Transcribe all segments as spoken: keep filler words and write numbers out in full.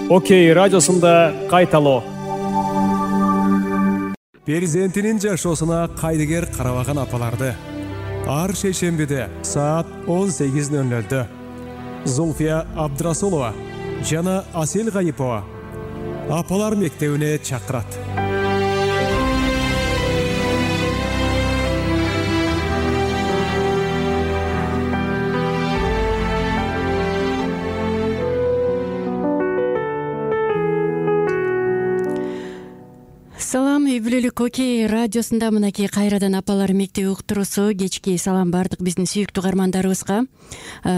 Окей радиосунда кайталоо. Перзентинин жашоосуна кайдыгер карабаган апаларды ар шейшембиде саат он сегиз ноль нолдо Зульфия Абдрасулова жана Асел Гайипова апалар мектебине чакырат. Салам, үй бүлөлүк Окей радиосунда мынакей кайрадан апалар мектеби уктуруусу. Кечки салам бардык биздин сүйүктүү каармандарыбызга.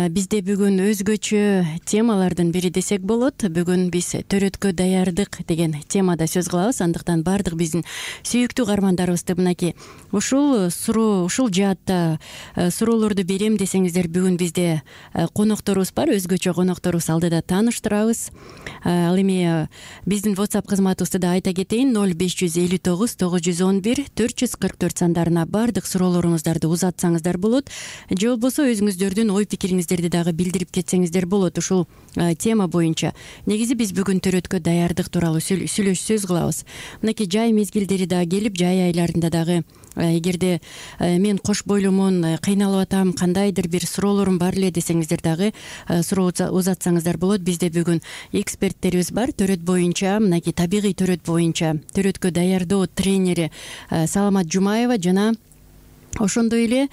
Бизде бүгүн өзгөчө темалардын бири десек болот. Бүгүн биз төрөткө даярдык деген темада сөз кылабыз. Андыктан бардык биздин сүйүктүү каармандарыбызды мынакей ушул суроо, ушул жаатта суроолорду берем десеңиздер, бүгүн бизде конокторубуз бар. Өзгөчө конокторубуз алдыда тааныштырабыз. Ал эми биздин WhatsApp кызматыбызды да айта кетейин: ноль беш жүз элүү тогуз тогуз жүз он бир төрт жүз кырк төрт сандарына бардык суроолоруңуздарды узатсаңыздар болот. Же болбосо өзүңүздөрдүн ой пикириңиздерди дагы билдирип кетсеңиздер болот ушул тема боюнча. Негизи биз бүгүн төрөткө даярдык тууралуу сүйлөш сөз кылабыз. Мынакей жай мезгилдери да келип, жай айларында дагы эгерде мен кош бойлумун, кыйналып атам, кандайдыр бир суроолорум бар эле десеңиздер дагы суроо узатсаңыздар болот. Бизде бүгүн эксперттерибиз бар. Төрөт боюнча, мынакей табигый төрөт боюнча төрөткө даярдоо тренери Саламат Жумаева жана ошондой эле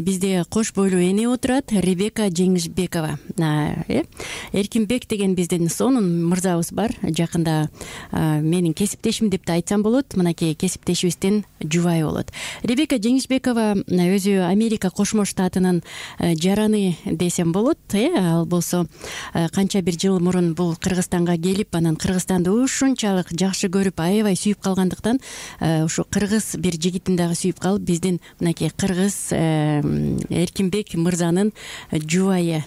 бизде кош бойлуу эне отурат, Ребека Жеңишбекова. Эркинбек деген биздин сонун мырзабыз бар. Жакында менин кесиптешим деп да айтсам болот. Мынакей кесиптешибиздин жубайы болот. Ребека Жеңишбекова өзү Америка Кошмо Штатынын жараны десем болот. Ал болсо канча бир жыл мурун бул Кыргызстанга келип, анан Кыргызстанды ушунчалык жакшы көрүп, аябай сүйүп калгандыктан ушу кыргыз бир жигитин дагы сүйүп калып, биздин мынакей кыргыз Эркинбек мырзанын жубайы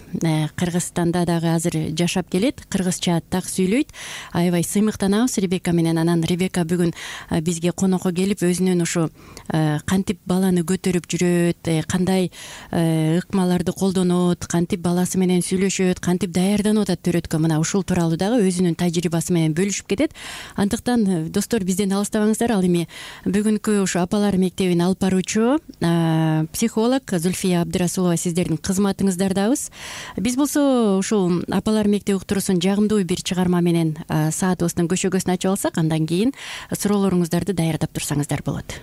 Кыргызстанда дагы азыр жашап келет. Кыргызча так сөйлөйт. Аябай сыймыктанабыз Ребека менен. Анан Ребека бүгүн бизге конокко келип, өзүнүн ушу кантип баланы көтөрүп жүрөт, кандай ыкмаларды колдонот, кантип баласы менен сүйлөшөт, кантип даярданып атат төрөткө, мына ушул тууралуу дагы өзүнүн тажрыйбасы менен бөлүшүп кетет. Андыктан достор, бизден алыстабаңыздар. Ал эми бүгүнкү ушу апалар мектебин алып баруучу психолог Зульфия Абдрасулова сиздердин кызматыңыздардабыз. Биз болсо ушул апалар мектеби уктуруусун жагымдуу бир чыгарма менен саатыбыздын көшөгөсүн ачып алсак, андан кийин суроолоруңуздарды даярдап турсаңыздар болот.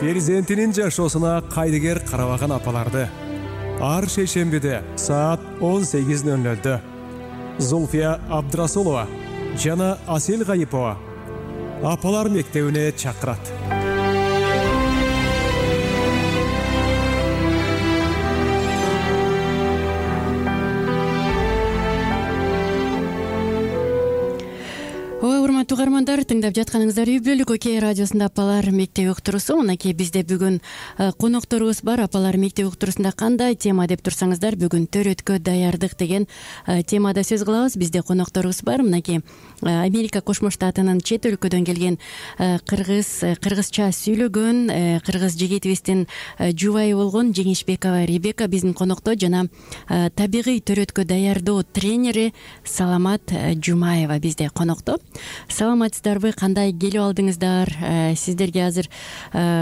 перзентинин жашоосуна кайдыгер карабаган апаларды ар шейшембиде саат он сегиз ноль нольдө Зулфия Абдрасулова жана Асел Гайипова апалар мектебине чакырат. Урматтуу угармандар, тыңдап жатканыңыздар Үй бүлөлүк Окей радиосунда апалар мектеби уктуруусу. Мынакей бизде бүгүн конокторубуз бар. Апалар мектеби уктуруусунда кандай тема деп турсаңыздар, бүгүн төрөткө даярдык деген темада сөз кылабыз. Бизде конокторубуз бар. Мынакей Америка Кошмо Штатынын чет өлкөдөн келген кыргыз кыргызча сүйлөгөн кыргыз жигитибиздин жубайы болгон Жеңишбекова Ребека биздин конокто, жана табигый төрөткө даярдоо тренери Саламат Жумаева бизде конокто. Саламатсыздарбы, кандай келип алдыңыздар? Сиздерге азыр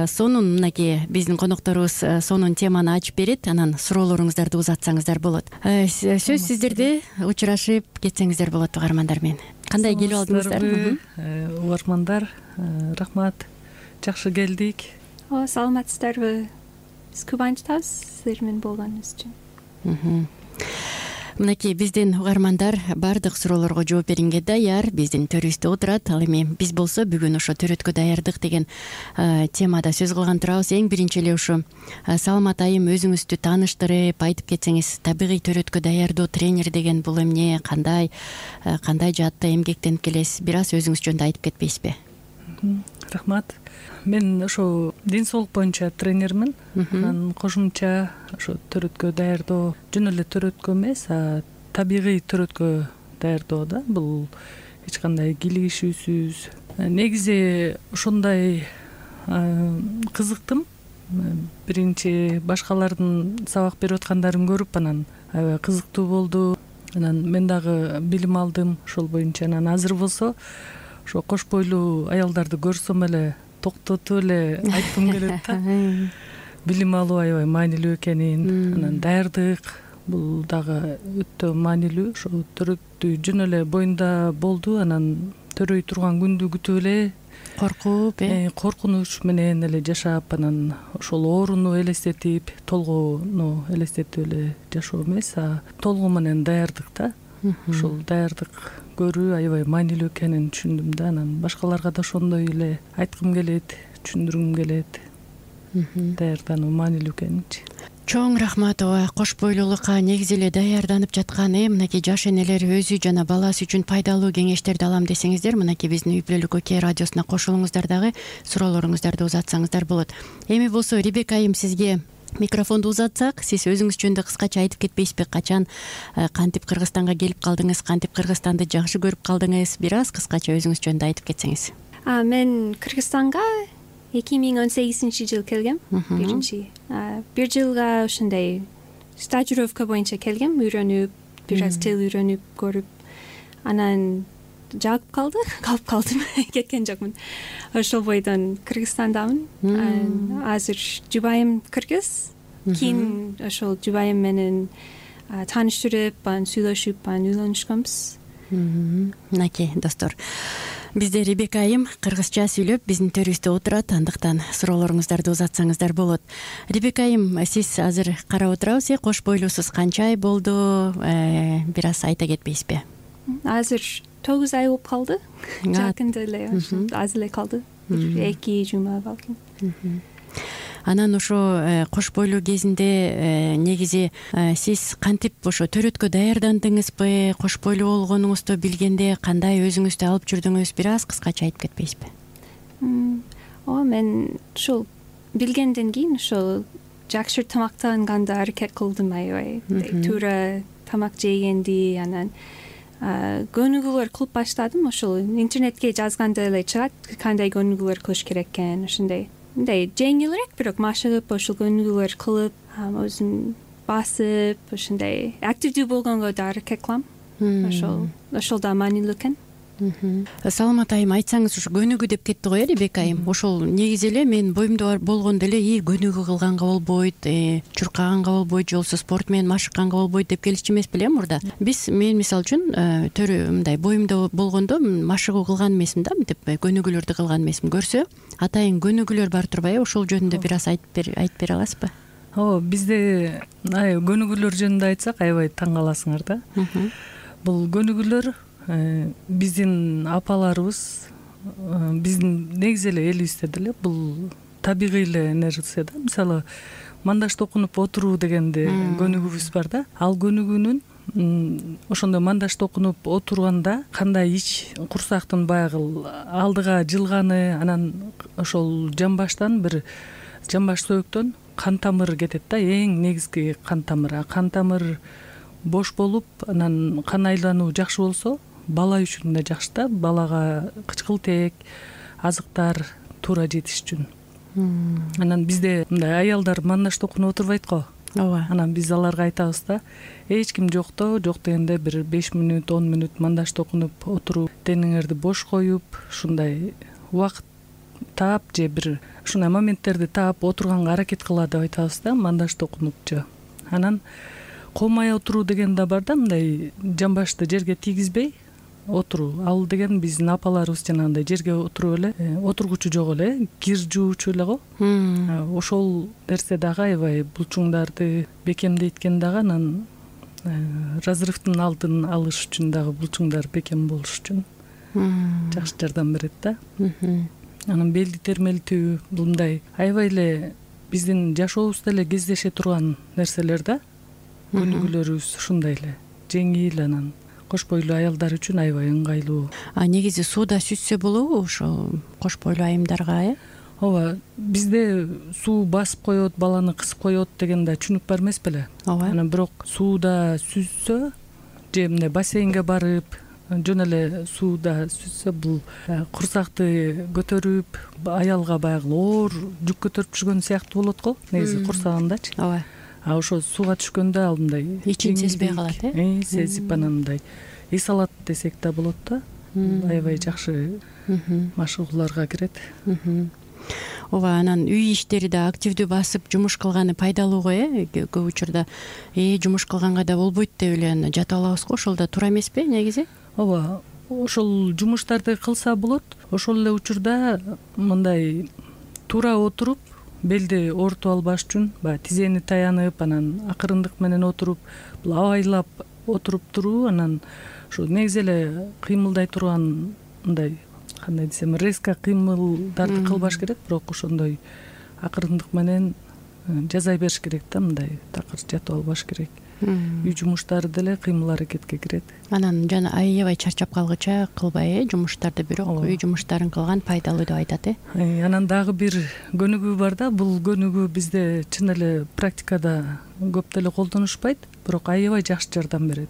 сонун мынакей биздин конокторубуз сонун теманы ачып берет, анан суроолоруңуздарды узатсаңыздар болот. Сөз сиздерде, учурашып кетсеңиздер болот угармандар менен. Кандай келип алдыңыздар? Угармандар, рахмат. Жакшы келдик. О, саламатсыздарбы? Биз кубанычтабыз сиздер менен болгонуңуз үчүн. Мынакей биздин угармандар баардык суроолорго жооп берүүгө даяр, биздин төрүбүздө отурат. Ал эми биз болсо бүгүн ошо төрөткө даярдык деген темада сөз кылган турабыз. Эң биринчи эле ушу Саламат айым өзүңүздү тааныштырып айтып кетсеңиз, табигый төрөткө даярдоо тренери деген бул эмне, кандай кандай жаатта эмгектенип келесиз? Бир аз өзүңүз жөнүндө айтып кетпейсизби? Рахмат. Мен ошо ден соолук боюнча тренермин. Анан кошумча ошо төрөткө даярдоо жөн эле төрөткө эмес, а табигый төрөткө даярдоо да. Бул эч кандай кийлигишүүсүз. Негизи ошондой кызыктым. Биринчи башкалардын сабак берип аткандарын көрүп, анан аябай кызыктуу болду. Анан мен дагы билим алдым ошол боюнча. Анан азыр болсо ошо кош бойлуу аялдарды көрсөм эле токтотуп эле айткым келет да. Билим алуу аябай маанилүү экенин, анан даярдык бул дагы өтө маанилүү. Ошо төрөттү жөн эле боюнда болду, анан төрөй турган күндү күтүп эле коркуп, э коркунуч менен эле жашап, анан ошол ооруну элестетип, толгоону элестетип эле жашоо эмес, а толгоо менен даярдык да. Ошол даярдык көрүү аябай маанилүү экенин түшүндүм да. Анан башкаларга да ошондой эле айткым келет, түшүндүргүм келет. Даярдануу маанилүү экенинчи. Чоң рахмат. Ооба, кош бойлуулукка негизи эле даярданып жаткан э мынакей жаш энелер өзү жана баласы үчүн пайдалуу кеңештерди алам десеңиздер, мынакей биздин Үй бүлөлүк Окей радиосуна кошулуңуздар, дагы суроолоруңуздарды узатсаңыздар болот. Эми болсо Ребека айым, сизге микрофонду узатсак, сиз өзүңүз жөнүндө кыскача айтып кетпейсизби? Качан кантип Кыргызстанга келип калдыңыз, кантип Кыргызстанды жакшы көрүп калдыңыз? Бир аз кыскача өзүңүз жөнүндө айтып кетсеңиз. Мен Кыргызстанга эки миң он сегизинчи жыл келгем. Биринчи бир жылга ошондой стажировка боюнча келгем, үйрөнүп, бир аз тил үйрөнүп көрүп, анан жагып калды, калып калдым, кеткен жокмун. Ошол бойдон Кыргызстандамын. Азыр жубайым кыргыз. Кийин ошол жубайым менен тааныштырып, анан сүйлөшүп, анан үйлөнүшкөнбүз. Мынакей достор, бизде Ребека айым кыргызча сүйлөп биздин төрүбүздө отурат, андыктан суроолоруңуздарды узатсаңыздар болот. Ребека айым, сиз азыр карап отурабыз, э кош бойлуусуз канча ай болду? Бир аз айта кетпейсизби? Азыр тогуз ай болуп калды. Жакында эле, аз эле калды. эки жума балким. Анан ошо кош бойлуу кезинде негизи сиз кантип ошо төрөткө даярдандыңызбы? Кош бойлуу болгонуңузду билгенде кандай өзүңүздү алып жүрдүңүз? Бир аз кыскача айтып кетпейсизби? О, мен ошол билгенден кийин ошол жакшы тамактанганды аракет кылдым аябай. Туура тамак жегенди, анан көнүгүүлөр кылып баштадым. Ошол интернетке жазганда эле чыгат кандай көнүгүүлөр кылыш керек экен. Ошондой мындай жеңилирээк, бирок машыгып ошол көнүгүүлөр кылып, өзүм басып, ошондой активдүү болгонго да аракет кылам. Ошол ошол да маанилүү экен. Саламат айым, айтсаңыз, ушу көнүгүү деп кетти го э Ребек айым. Ошол негизи эле мен боюмда болгондо эле и көнүгүү кылганга болбойт, чуркаганга болбойт, же болбосо спорт менен машыкканга болбойт деп келчү эмес беле мурда. Биз мен мисалы үчүн төрү мындай боюмда болгондо машыгуу кылган эмесмин да, мынтип көнүгүүлөрдү кылган эмесмин. Көрсө атайын көнүгүүлөр бар турбайбы? Ошол жөнүндө бир аз айтып бере аласызбы? Ооба, бизде көнүгүүлөр жөнүндө айтсак аябай таң каласыңар да. Бул көнүгүүлөр биздин апаларыбыз, биздин негизи эле элибизде деле бул табигый эле нерсе да. Мисалы, мандаш токунуп отуруу дегенде көнүгүүбүз бар да. Ал көнүгүүнүн ошондо мандаш токунуп отурганда кандай ич курсактын баягы алдыга жылганы, анан ошол жамбаштан бир жамбаш сөөктөн кан тамыр кетет да, эң негизги кан тамыр. Кан тамыр бош болуп, анан кан айлануу жакшы болсо, бала үчүн да жакшы да. Балага кычкылтек, азыктар туура жетиш үчүн. Анан бизде мындай аялдар мандаш токунуп отурбайт го. Ооба. Анан биз аларга айтабыз да, эч ким жокто, жок дегенде бир беш мүнөт, он мүнөт мандаш токунуп отуруп, денеңерди бош коюп, ушундай убакыт таап же бир ушундай моменттерди таап отурганга аракет кыла деп айтабыз да, мандаш токунупчу. Анан колмай отуруу деген да бар да, мындай жамбашты жерге тийгизбей отуруу. Ал деген биздин апаларыбыз жанагындай жерге отуруп эле, отургучу жок эле, кир жуучу эле го. Ошол нерсе дагы аябай булчуңдарды бекемдейт дагы, анан разрывдын алдын алыш үчүн дагы булчуңдар бекем болуш үчүн жакшы жардам берет да. Анан белди термелтүү, бул мындай аябай эле биздин жашообузда эле кездеше турган нерселер да. Көнүгүүлөрүбүз ушундай эле жеңил, анан кош бойлуу аялдар үчүн аябай ыңгайлуу. А негизи сууда сүзсө болобу ошо кош бойлуу айымдарга, э? Ооба, бизде суу басып коет, баланы кысып коет деген да түшүнүк бар эмес беле? Ооба. Анан бирок сууда сүзсө же мындай бассейнге барып, жөн эле сууда сүзсө, бул курсакты көтөрүп, аялга баягы оор жүк көтөрүп жүргөн сыяктуу болот го, негизи курсагындачы. Ооба. А ошо сууга түшкөндө ал мындай ичин сезбей калат, э? Сезип анан мындай эс алат десек да болот да. Аябай жакшы машыгууларга кирет. Ооба, анан үй иштери да активдүү басып жумуш кылганы пайдалуу го, э? Көп учурда э жумуш кылганга да болбойт деп эле жатып алабыз го, ошол да туура эмеспи негизи? Ооба, ошол жумуштарды кылса болот. Ошол эле учурда мындай туура отуруп, белди оорутуп албаш үчүн баягы тизени таянып, анан акырындык менен отуруп, бул абайлап отуруп туруу, анан ушу негизи эле кыймылдай турган мындай, кандай десем, резко кыймылдарды кылбаш керек, бирок ошондой акырындык менен жазай бериш керек да, мындай такыр жатып албаш керек. Үй жумуштары деле кыймыл аракетке кирет. Анан жана аябай чарчап калгыча кылбай, э, жумуштарды, бирок үй жумуштарын кылган пайдалуу деп айтат, э. Анан дагы бир көнүгүү бар да, бул көнүгүү бизде чын эле практикада көп деле колдонушпайт, бирок аябай жакшы жардам берет.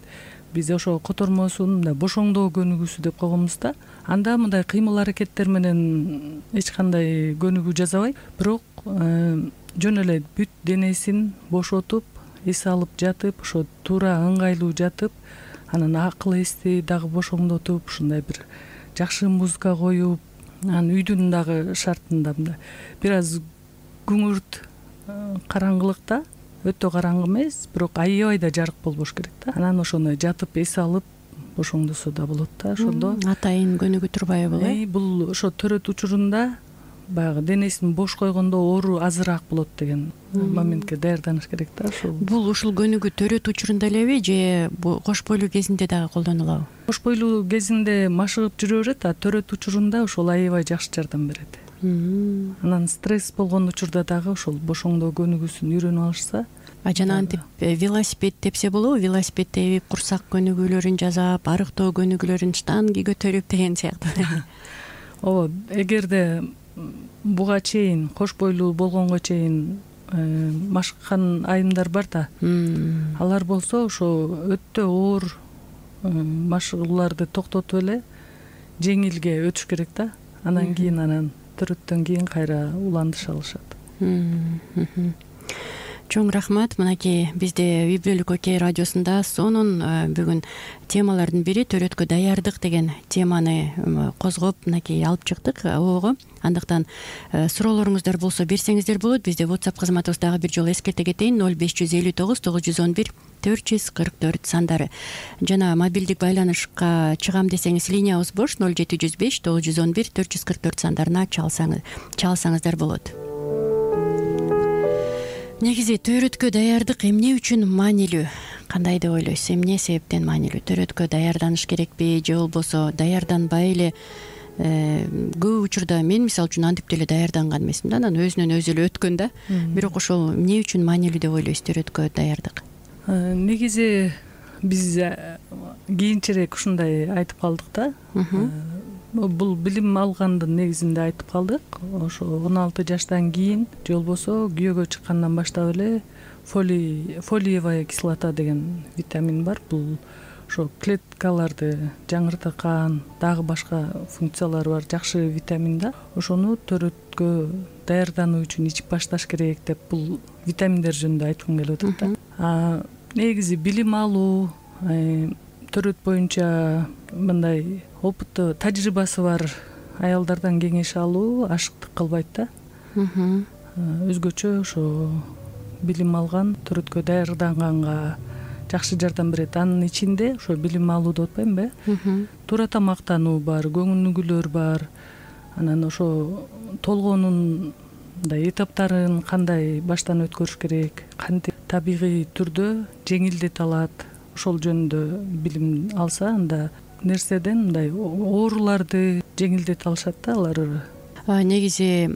Биз ошо котормосун мындай бошоңдоо көнүгүүсү деп койгонбуз да. Анда мындай кыймыл аракеттер менен эч кандай көнүгүү жасабайт, бирок жөн эле бүт денесин бошотуп, эс алып жатып, ошо туура ыңгайлуу жатып, анан акыл эсти дагы бошоңдотуп, ушундай бир жакшы музыка коюп, анан үйдүн дагы шартында мындай бир аз күңүрт караңгылыкта, өтө караңгы эмес, бирок аябай да жарык болбош керек да. Анан ошону жатып эс алып бошоңдосо да болот да, ошондо. Атайын көнүгүү турбайбы бул, э? Бул ошо төрөт учурунда баягы денесин бош койгондо оору азыраак болот деген моментке даярданыш керек да. Ошол бул ушул көнүгүү төрөт учурунда элеби же кош бойлуу кезинде дагы колдонулабы? Кош бойлуу кезинде машыгып жүрө берет, а төрөт учурунда ошол аябай жакшы жардам берет. Анан стресс болгон учурда дагы ошол бошоңдоо көнүгүүсүн үйрөнүп алышса. А жанагынтип велосипед тепсе болобу? Велосипед тебип, курсак көнүгүүлөрүн жасап, арыктоо көнүгүүлөрүн, штанги көтөрүп деген сыяктуу. Ооба, эгерде буга чейин кош бойлуу болгонго чейин машыккан айымдар бар да, алар болсо ошо өтө оор машыгууларды токтотуп эле жеңилге өтүш керек да. Анан кийин анан төрөттөн кийин кайра уландыша алышат. чоң рахмат. Мынакей бизде үй бүлөлүк окей радиосунда сонун бүгүн темалардын бири төрөткө даярдык деген теманы козгоп мынакей алып чыктык ого. Андыктан суроолоруңуздар болсо берсеңиздер болот. Бизде WhatsApp кызматыбыз дагы бир жолу эскерте кетейин: ноль беш жүз элүү тогуз тогуз жүз он бир төрт жүз кырк төрт сандары. Жана мобилдик байланышка чыгам десеңиз линиябыз бош: ноль жети жүз беш тогуз жүз он бир төрт жүз кырк төрт сандарына чалсаңыз чалсаңыздар болот. Негизи төрөткө даярдык эмне үчүн маанилүү? Кандай деп ойлойсуз? Эмне себептен маанилүү? Төрөткө даярданыш керекпи же болбосо даярданбай эле? Көп учурда мен мисалы үчүн антип деле даярданган эмесмин да, анан өзүнөн өзү эле өткөн да. Бирок ошол эмне үчүн маанилүү деп ойлойсуз төрөткө даярдык? Негизи биз кийинчерээк ушундай айтып калдык да. Бул билим алгандын негизинде айтып калдык. Ошо он алты жаштан кийин же болбосо күйөөгө чыккандан баштап эле фолий фолиевая кислота деген витамин бар. Бул ошо клеткаларды жаңырткан, дагы башка функциялары бар жакшы витамин да. Ошону төрөткө даярдануу үчүн ичип башташ керек деп бул витаминдер жөнүндө айткым келип атат да. А негизи билим алуу, төрөт боюнча мындай опыты, тажрыйбасы бар аялдардан кеңеш алуу ашыктык кылбайт да. Өзгөчө ошо билим алган, төрөткө даярданганга жакшы жардам берет. Анын ичинде ошо билим алууду отпоймунбу? Туура тамактануу бар, көңүлдүүлөр бар. Анан ошо толгоонун мындай этаптарын кандай баштан өткөрүш керек, кантип табигый түрдө жеңилдете алат, ошол жөнүндө билим алса, анда нерседен мындай ооруларды жеңилдете алышат да алар. Негизи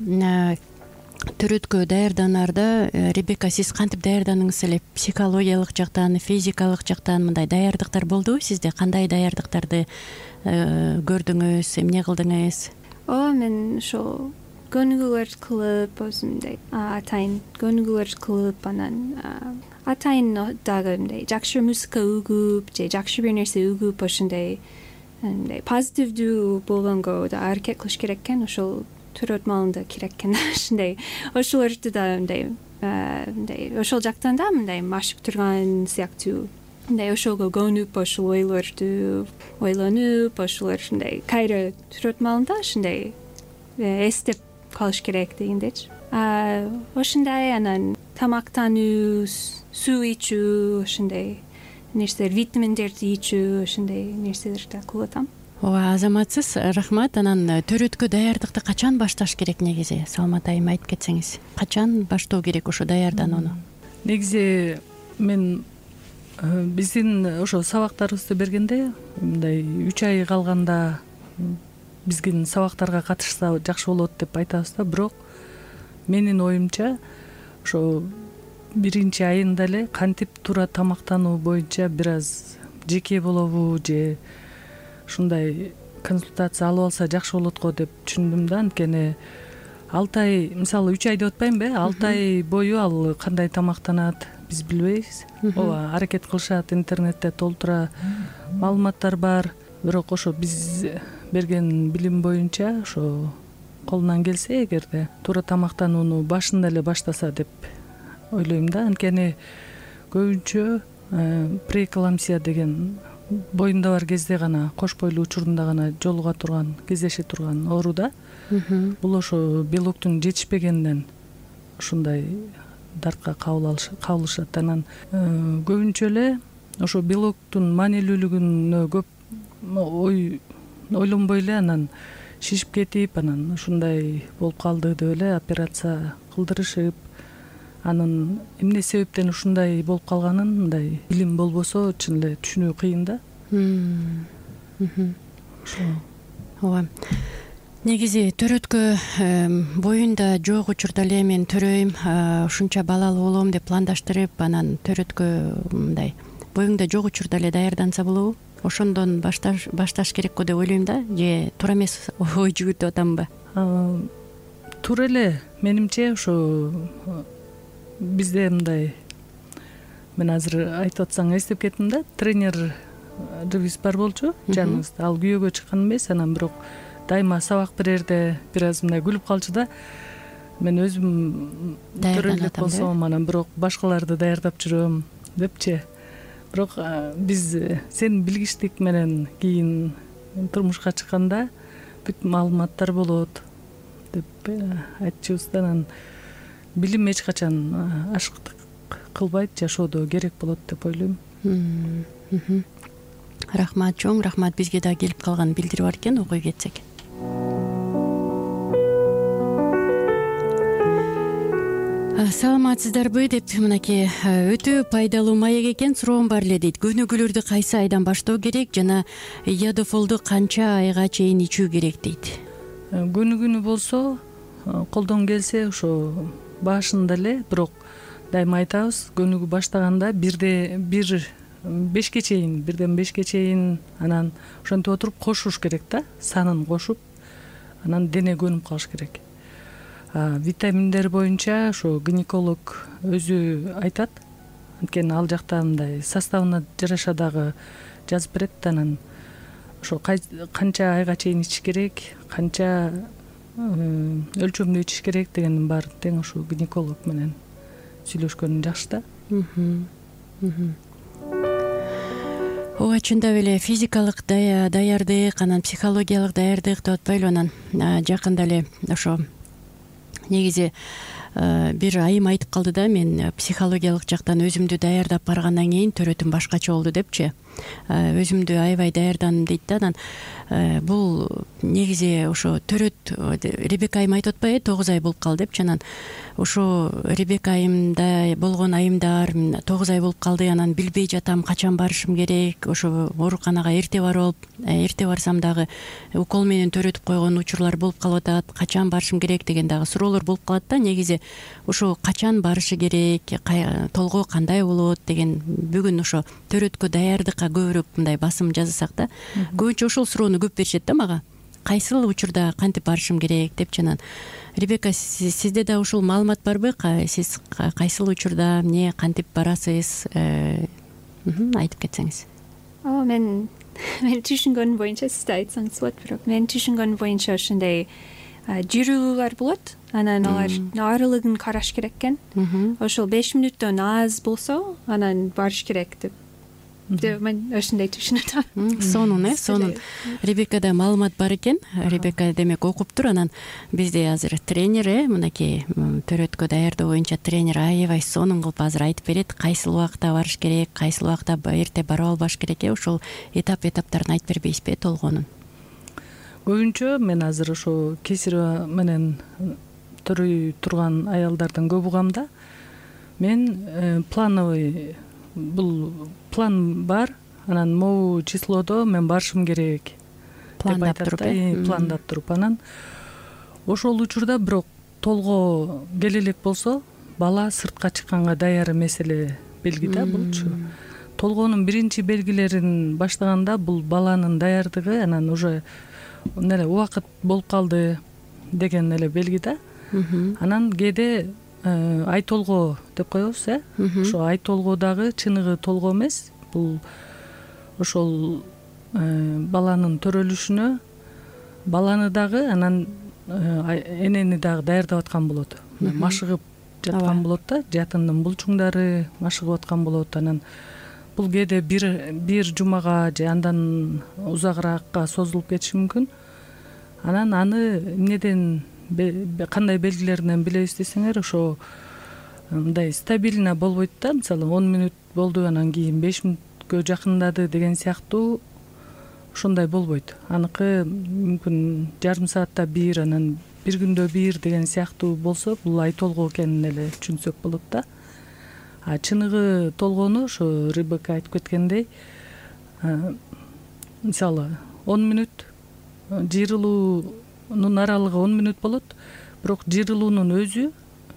төрөткө даярданаарда Ребека, сиз кантип даярдандыңыз эле? Психологиялык жактан, физикалык жактан мындай даярдыктар болдубу сизде? Кандай даярдыктарды көрдүңүз, эмне кылдыңыз? О, мен ошо көнүгүүлөр кылып, өзүмдөй атайын көнүгүүлөр кылып, анан атайын дагы мындай жакшы музыка угуп же жакшы бир нерсе угуп, ошондой мындай позитивдүү болгонго да аракет кылыш керек экен. Ошол төрөт маалында керек экен. Ошондой ошолорду да мындай мындай ошол жактан да мындай машык турган сыяктуу. Мындай ошого көнүп, ошол ойлорду ойлонуп, ошолор ушундай кайра төрөт маалында ушундай эстеп калыш керек дегендечи. А ошондой анан тамактануу, суу ичүү, ошондой нерселер, витаминдерди ичүү, ошондой нерселерди кылып атам. Ооба, азаматсыз, рахмат. Анан төрөткө даярдыкты качан башташ керек негизи? Салмат айым айтып кетсеңиз. Качан баштоо керек ошо даярданууну? Негизи мен биздин ошо сабактарыбызды бергенде мындай үч ай калганда биздин сабактарга катышса жакшы болот деп айтабыз да. Бирок менин оюмча ошо биринчи айында эле кантип туура тамактануу боюнча бир аз жеке болобу же ушундай консультация алып алса жакшы болот го деп түшүндүм да. Анткени алты ай, мисалы үч ай деп атпаймынбы, алты ай бою ал кандай тамактанат биз билбейбиз. Ооба, аракет кылышат, интернетте толтура маалыматтар бар. Бирок ошо биз берген билим боюнча ошо колунан келсе, эгерде туура тамактанууну башында эле баштаса деп ойлойм да. Анткени көбүнчө преэкламсия деген боюнда бар кезде гана, кош бойлуу учурунда гана жолуга турган, кездеше турган оору да. Бул ошо белоктун жетишпегенинен ушундай дартка кабылышат. Анан көбүнчө эле ошо белоктун маанилүүлүгүнө көп ой ойлонбой эле анан шишип кетип, анан ушундай болуп калды деп эле операция кылдырышып, анын эмне себептен ушундай болуп калганын мындай билим болбосо чын эле түшүнүү кыйын да. Ооба. Негизи төрөткө боюнда жок учурда эле мен төрөйм, ушунча балалуу болом деп пландаштырып, анан төрөткө мындай боюңда жок учурда эле даярданса болобу? Ошондон башташ башташ керек го деп ойлойм да. Же туура эмес ой жүгүртүп атамбы? Туура эле, менимче ошо бизде мындай, мен азыр айтып атсаң эстеп кеттим да, тренерибиз бар болчу жаныбызда. Ал күйөөгө чыккан эмес, анан бирок дайыма сабак берерде бир аз мындай күлүп калчу да. мен өзүм төрө элек даярданат болсом анан бирок башкаларды даярдап жүрөм депчи. Бирок биз сенин билгичтик менен кийин турмушка чыкканда бүт маалыматтар болот деп айтчубуз да. Анан билим эч качан ашыктык кылбайт, жашоодо керек болот деп ойлойм. Рахмат, чоң рахмат. Бизге да келип калган билдири бар экен, окуй кетсек. Саламатсыздарбы деп мынакей өтө пайдалуу маек экен. Суроом бар эле дейт. Көнүгүүлөрдү кайсы айдан баштоо керек жана ядофолду канча айга чейин ичүү керек дейт. Көнүгүүнү болсо колдон келсе ошо башында эле, бирок дайыма айтабыз, көнүгүү баштаганда бирде бир бешке чейин, бирден бешке чейин анан ошентип отуруп кошуш керек да, санын кошуп, анан дене көнүп калыш керек. Витаминдер боюнча ошо гинеколог өзү айтат, анткени ал жакта мындай составына жараша дагы жазып берет. Анан ошо канча айга чейин ичиш керек, канча өлчөмдө ичиш керек дегендин баарын тең ошо гинеколог менен сүйлөшкөн жакшы да. Ооба, чындап эле физикалык даярдык, анан психологиялык даярдык деп атпайлы. Анан жакында эле ошо негизи бир айым айтып калды да, мен психологиялык жактан өзүмдү даярдап баргандан кийин төрөтүм башкача болду депчи. Өзүмдү аябай даярдандым дейт да. Анан бул негизи ошо төрөт Ребека айым айтып атпайбы, тогуз ай болуп калды депчи. Анан ошо Ребека айымда болгон айымдар тогуз ай болуп калды, анан билбей жатам качан барышым керек, ошо ооруканага эрте барып, эрте барсам дагы укол менен төрөтүп койгон учурлар болуп калып атат, качан барышым керек деген дагы суроолор болуп калат да. Негизи ошо качан барышы керек, толгоо кандай болот деген бүгүн ошо төрөткө даярдыкка көбүрөөк мындай басым жасасак да. Көбүнчө ошол суроону көп беришет да мага. Кайсыл учурда кантип барышым керек депчи. Анан Ребека, сизде да ушул маалымат барбы? Сиз кайсыл учурда эмне кантип барасыз? Айтып кетсеңиз. Ооба, мен мен түшүнгөнүм боюнча, сиз да айтсаңыз болот, бирок мен түшүнгөнүм боюнча ошондой жирүүлөр болот. Анан алар арылыгын караш керек экен. Ошол беш мүнөттөн аз болсо, анан барыш керек деп. Мен ошондой түшүнөт. Сонун, э, сонун. Ребекада маалымат бар экен. Ребека демек окуптур. Анан бизде азыр тренер, э, мынакей төрөткө даярдоо боюнча тренер аябай сонун кылып азыр айтып берет. Кайсыл убакта барыш керек, кайсыл убакта эрте барып албаш керек, э, ошол этап-этаптарын айтып бербейсизби толгонун? Көбүнчө мен азыр ошо кесир менен төрөй турган аялдардан көп угам да. Мен плановый, бул план бар, анан могу числодо мен барышым керек пландап туруп, э, пландап туруп. Анан ошол учурда бирок толгоо келе элек болсо, бала сыртка чыкканга даяр эмес эле белги да булчу. Толгоонун биринчи белгилерин баштаганда бул баланын даярдыгы, анан уже эле убакыт болуп калды деген эле белги да. Анан кээде ай толгоо деп коебуз, э. Ошо ай толгоо дагы чыныгы толгоо эмес. Бул ошол баланын төрөлүшүнө баланы дагы, анан энени дагы даярдап аткан болот. Машыгып жаткан болот да, жатындын булчуңдары машыгып аткан болот. Анан бул кээде бир бир жумага же андан узагыраакка созулуп кетиши мүмкүн. Анан аны эмнеден, кандай белгилеринен билебиз десеңер, ошо мындай стабильно болбойт да. Мисалы он мүнөт болду, анан кийин беш мүнөткө жакындады деген сыяктуу ошондой болбойт. Аныкы мүмкүн жарым саатта бир, анан бир күндө бир деген сыяктуу болсо, бул ай толгоо экенин эле түшүнсөк болот да. А чыныгы толгоону ошо Ребека айтып кеткендей, мисалы он мүнөт, жыйрылуунун аралыгы он мүнөт болот, бирок жыйрылуунун өзү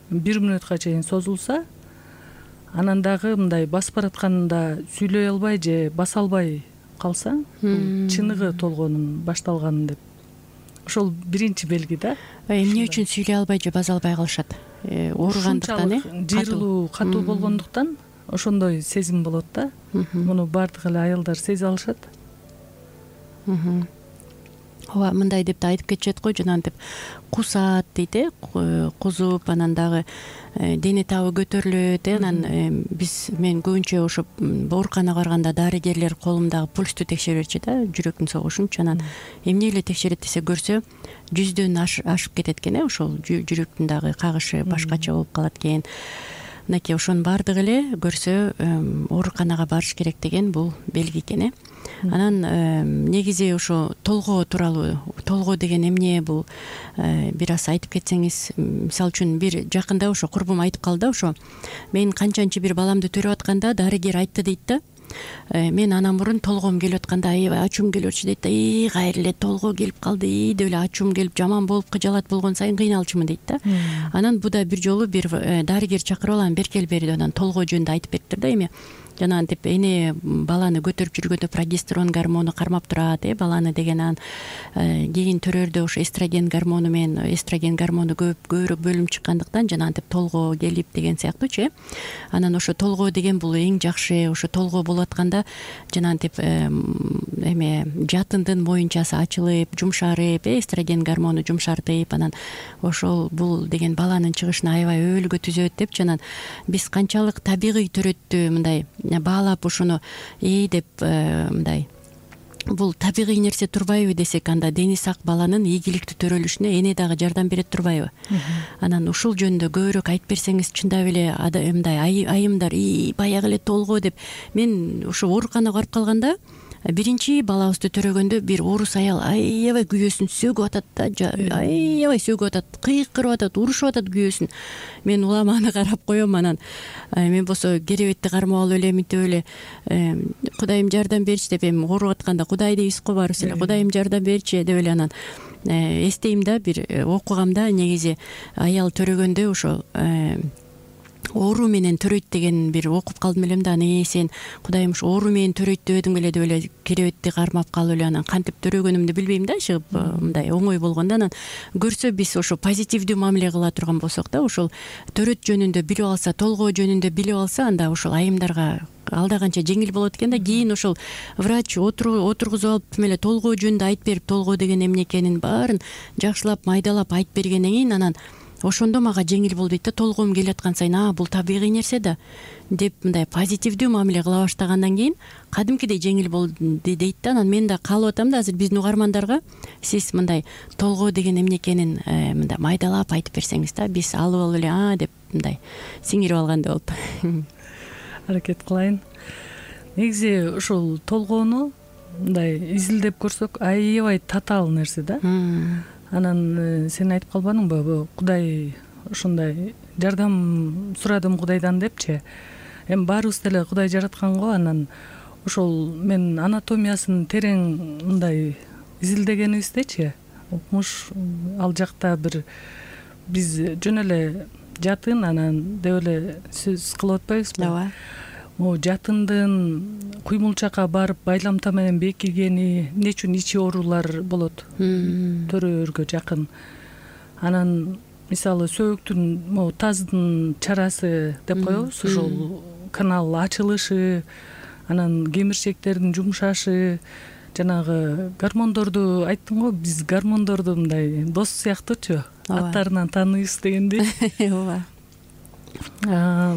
бир мүнөткө чейин созулса, анан дагы мындай басып баратканда сүйлөй албай же баса албай калсаң, бул чыныгы толгоонун башталганын деп. Ошол биринчи белги да. Эмне үчүн сүйлөй албай же баса албай калышат? Ооругандыктан, э? Жыйрылуу катуу болгондуктан ошондой сезим болот да. Муну бардык эле аялдар сезе алышат. ооба, мындай деп да айтып кетишет го, жанагынтип кусат дейт э, кузуп анан дагы дене табы көтөрүлөт э, анан биз мен көбүнчө ошо ооруканага барганда дарыгерлер колумдагы пульсту текшере берчү да, жүрөктүн согушунчу. Анан эмне эле текшерет десе көрсө жүздөн ашып кетет экен э, ошол жүрөктүн дагы кагышы башкача болуп калат экен. Мынакей ошонун баардыгы эле көрсө ооруканага барыш керек деген бул белги экен э. Анан негизи ошо толгоо тууралуу, толгоо деген эмне, бул бир аз айтып кетсеңиз. Мисалы үчүн бир жакында ошо курбум айтып калды да, ошо мен канчанчы бир баламды төрөп атканда дарыгер айтты дейт да, мен анан мурун толгоом келип атканда аябай ачуум келип атчу дейт да, и кайра эле толгоо келип калды, и деп эле ачуум келип жаман болуп кыжалат болгон сайын кыйналчумун дейт да. Анан буда бир жолу бир дарыгер чакырып алам, беркел бери анан толгоо жөнүндө айтып бериптир да. Эми жанагынтип эне баланы көтөрүп жүргөндө прогестерон гормону кармап турат э, баланы деген. Анан кийин төрөрдө ошо эстроген гормону менен эстроген гормону көп көбүрөөк бөлүнүп чыккандыктан жанагынтип толгоо келип деген сыяктуучу э. Анан ошо толгоо деген бул эң жакшы, ошо толгоо болуп атканда жанагынтип эме жатындын моюнчасы ачылып, жумшарып, эстроген гормону жумшартып, анан ошол бул деген баланын чыгышына аябай өбөлгө түзөт депчи. Анан биз канчалык табигый төрөттү мындай баалап ошону ээ деп мындай бул табигый нерсе турбайбы десек, анда дени сак баланын ийгиликтүү төрөлүшүнө эне дагы жардам берет турбайбы? Анан ушул жөнүндө көбүрөөк айтып берсеңиз, чындап эле мындай айымдар и баягы эле толгоо деп. Мен ошо ооруканага барып калганда биринчи балабызды төрөгөндө бир орус аял аябай күйөөсүн сөгүп атат да, аябай сөгүп атат, кыйкырып атат, урушуп атат күйөөсүн. Мен улам аны карап коем. Анан мен болсо керебетти кармап алып эле мынтип эле Кудайым жардам берчи деп, эми ооруп атканда Кудай дейбиз го баарыбыз эле, Кудайым жардам берчи деп эле. Анан эстейм да, бир окугамда негизи аял төрөгөндө ошо оору менен төрөйт деген бир окуп калдым элем да. Анан сен Кудайым ушу оору менен төрөйт дебедиң беле деп эле керебетти кармап калып эле анан кантип төрөгөнүмдү билбейм да, чыгып мындай оңой болгондо. Анан көрсө биз ошо позитивдүү мамиле кыла турган болсок да, ошол төрөт жөнүндө билип алса, толгоо жөнүндө билип алса, анда ошол айымдарга алда канча жеңил болот экен да. Кийин ошол врач отургузуп алып тим эле толгоо жөнүндө айтып берип, толгоо деген эмне экенин баарын жакшылап майдалап айтып бергенден кийин анан ошондо мага жеңил болду дейт да. Толгоом келип аткан сайын а бул табигый нерсе да деп мындай позитивдүү мамиле кыла баштагандан кийин кадимкидей жеңил болду дейт да. Анан мен да каалап атам да, азыр биздин угармандарга сиз мындай толгоо деген эмне экенин мындай майдалап айтып берсеңиз да, биз алып алып эле а деп мындай сиңирип алгандай болуп аракет кылайын. Негизи ушул толгоону мындай изилдеп көрсөк аябай татаал нерсе да. Анан сен айтып калбадыңбы, Кудай ушундай жардам сурадым Кудайдан депчи. Эми баарыбыз деле Кудай жараткан го. Анан ошол мен анатомиясын терең мындай изилдегенибиздечи, укмуш ал жакта бир биз жөн эле жатын анан деп эле сөз кылып атпайбызбы? Ооба. Могу жатындын куймулчакка барып байламта менен бекигени, эмне үчүн ичи оорулар болот төрөөргө жакын. Анан мисалы сөөктүн могу таздын чарасы деп коебуз, ошол канал ачылышы, анан кемирчектердин жумшашы, жанагы гормондорду айттым го, биз гормондорду мындай дос сыяктуучу, аттарынан тааныйбыз дегендей. Ооба.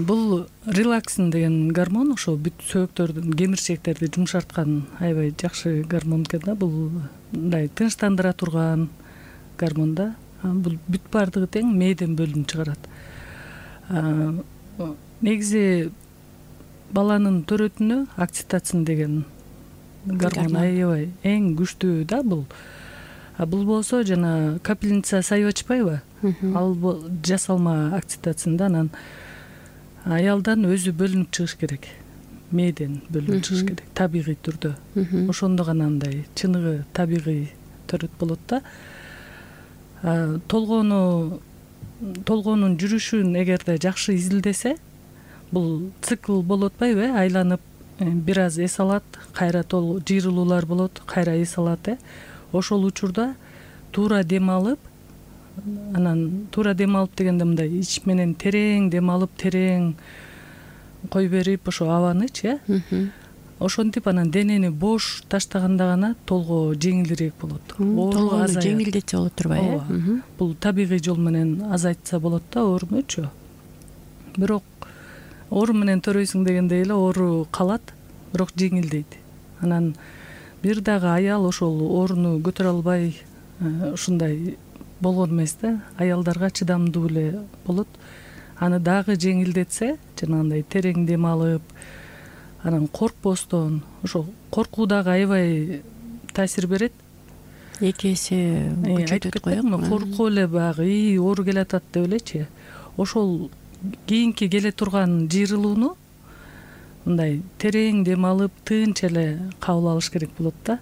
Бул релаксин деген гормон, ошо бүт сөөктөрдүн кемирчектерди жумшарткан аябай жакшы гормон экен да. Бул мындай тынчтандыра турган гормон да. Бул бүт баардыгы тең мээден бөлүнүп чыгарат. Негизи баланын төрөтүнө окситоцин деген гормон аябай эң күчтүү да бул. Бул болсо жана капельница сайып ачпайбы? Ал жасалма окситоцин да. Анан аялдан өзү бөлүнүп чыгыш керек, мээден бөлүнүп чыгыш керек табигый түрдө. Ошондо гана андай чыныгы табигый төрөт болот да. Толгоону толгоонун жүрүшүн эгерде жакшы изилдесе, бул цикл болуп атпайбы, айланып бир аз эс алат, кайра жыйрылуулар болот, кайра эс алат э. Ошол учурда туура дем алып, анан туура дем алып дегенде мындай ич менен терең дем алып, терең кой берип ошо абанычы э. ошентип анан денени бош таштаганда гана толгоо жеңилирээк болот. Толгоону жеңилдетсе болот турбайбы? Ооба. Бул табигый жол менен азайтса болот да оорунучу. Бирок оору менен төрөйсүң дегендей эле оору калат, бирок жеңилдейт. Анан бир дагы аял ошол ооруну көтөрө албай ушундай болгон эмес да. Аялдарга чыдамдуу эле болот. Аны дагы жеңилдетсе, жанагындай терең дем алып, анан коркпостон, ошо коркуу дагы аябай таасир берет. Эки эсе күчөтөт го. Коркуп эле баягы ии оору келатат деп элечи. Ошол кийинки келе турган жыйрылууну мындай терең дем алып, тынч эле кабыл алыш керек болот да.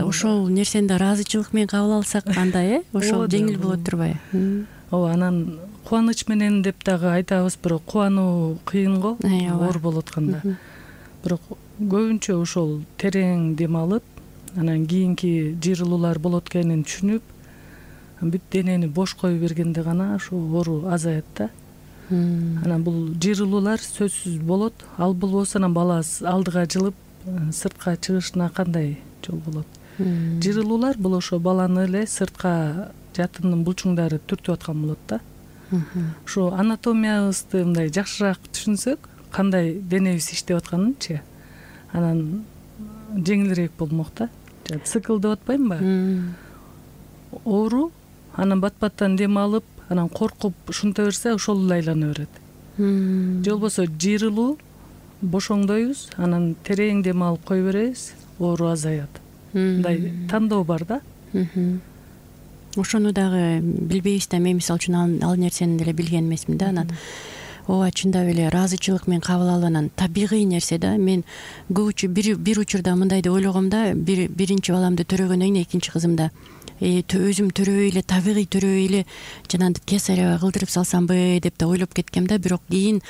Ошол нерсени да ыраазычылык менен кабыл алсак кандай, э? Ошол жеңил болот турбайбы? Ооба, анан кубаныч менен деп дагы айтабыз, бирок кубануу кыйын го, оор болуп атканда. Бирок көбүнчө ошол терең дем алып, анан кийинки жыйрылуулар болот экенин түшүнүп, бүт денени бош коюп бергенде гана ошо оору азаят да. Анан бул жыйрылуулар сөзсүз болот. Ал болбосо анан бала алдыга жылып, сыртка чыгышына кандай жол болот? Жыйрылуулар бул ошо баланы эле сыртка жатындын булчуңдары түртүп аткан болот да. Ошо анатомиябызды мындай жакшыраак түшүнсөк, кандай денебиз иштеп атканынчы, анан жеңилирээк болмок да. Цикл деп атпаймынбы? Оору, анан бат-баттан дем алып, анан коркуп ушунта берсе, ошол эле айлана берет. Же болбосо жыйрылуу, бошоңдойбуз, анан терең дем алып кое беребиз, оору азаят. Мындай тандоо бар да. Ошону дагы билбейбиз да, мен мисалы үчүн ал нерсени деле билген эмесмин да. Анан ооба, чындап эле ыраазычылык менен кабыл алып, анан табигый нерсе да. Мен көбүчө бир бир учурда мындай деп ойлогом да, бир биринчи баламды төрөгөндөн кийин экинчи кызымда өзүм төрөбөй эле, табигый төрөбөй эле жанагынтип кесарева кылдырып салсамбы деп да ойлоп кеткем да. Бирок кийин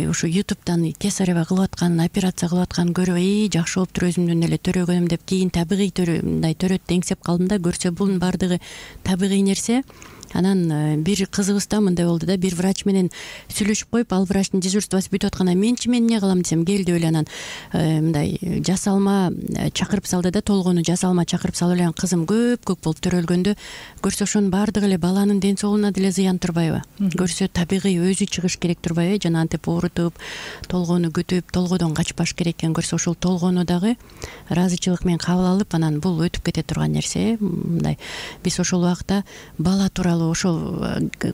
ошо ютубтан кесарева кылып аткан, операция кылып атканын көрүп, и жакшы болуптур өзүмдөн эле төрөгөнүм деп кийин табигый мындай төрөт деңсеп калдым да. Көрсө бунун баардыгы табигый нерсе. Анан бир кызыбызда мындай болду да, бир врач менен сүйлөшүп коюп, ал врачтын дежурствосу бүтүп атканда менчи мен эмне кылам десем, кел деп эле анан мындай жасалма чакырып салды да, толгону жасалма чакырып салып эле кызым көп-көп болуп төрөлгөндө көрсө ошонун баардыгы эле баланын ден соолугуна деле зыян турбайбы? Көрсө табигый өзү чыгыш керек турбайбы? Жанагынтип оорутуп, толгону күтүп, толгодон качпаш керек экен. Көрсө ошол толгону дагы ыраазычылык менен кабыл алып, анан бул өтүп кете турган нерсе. Мындай биз ошол убакта бала тууралуу ошол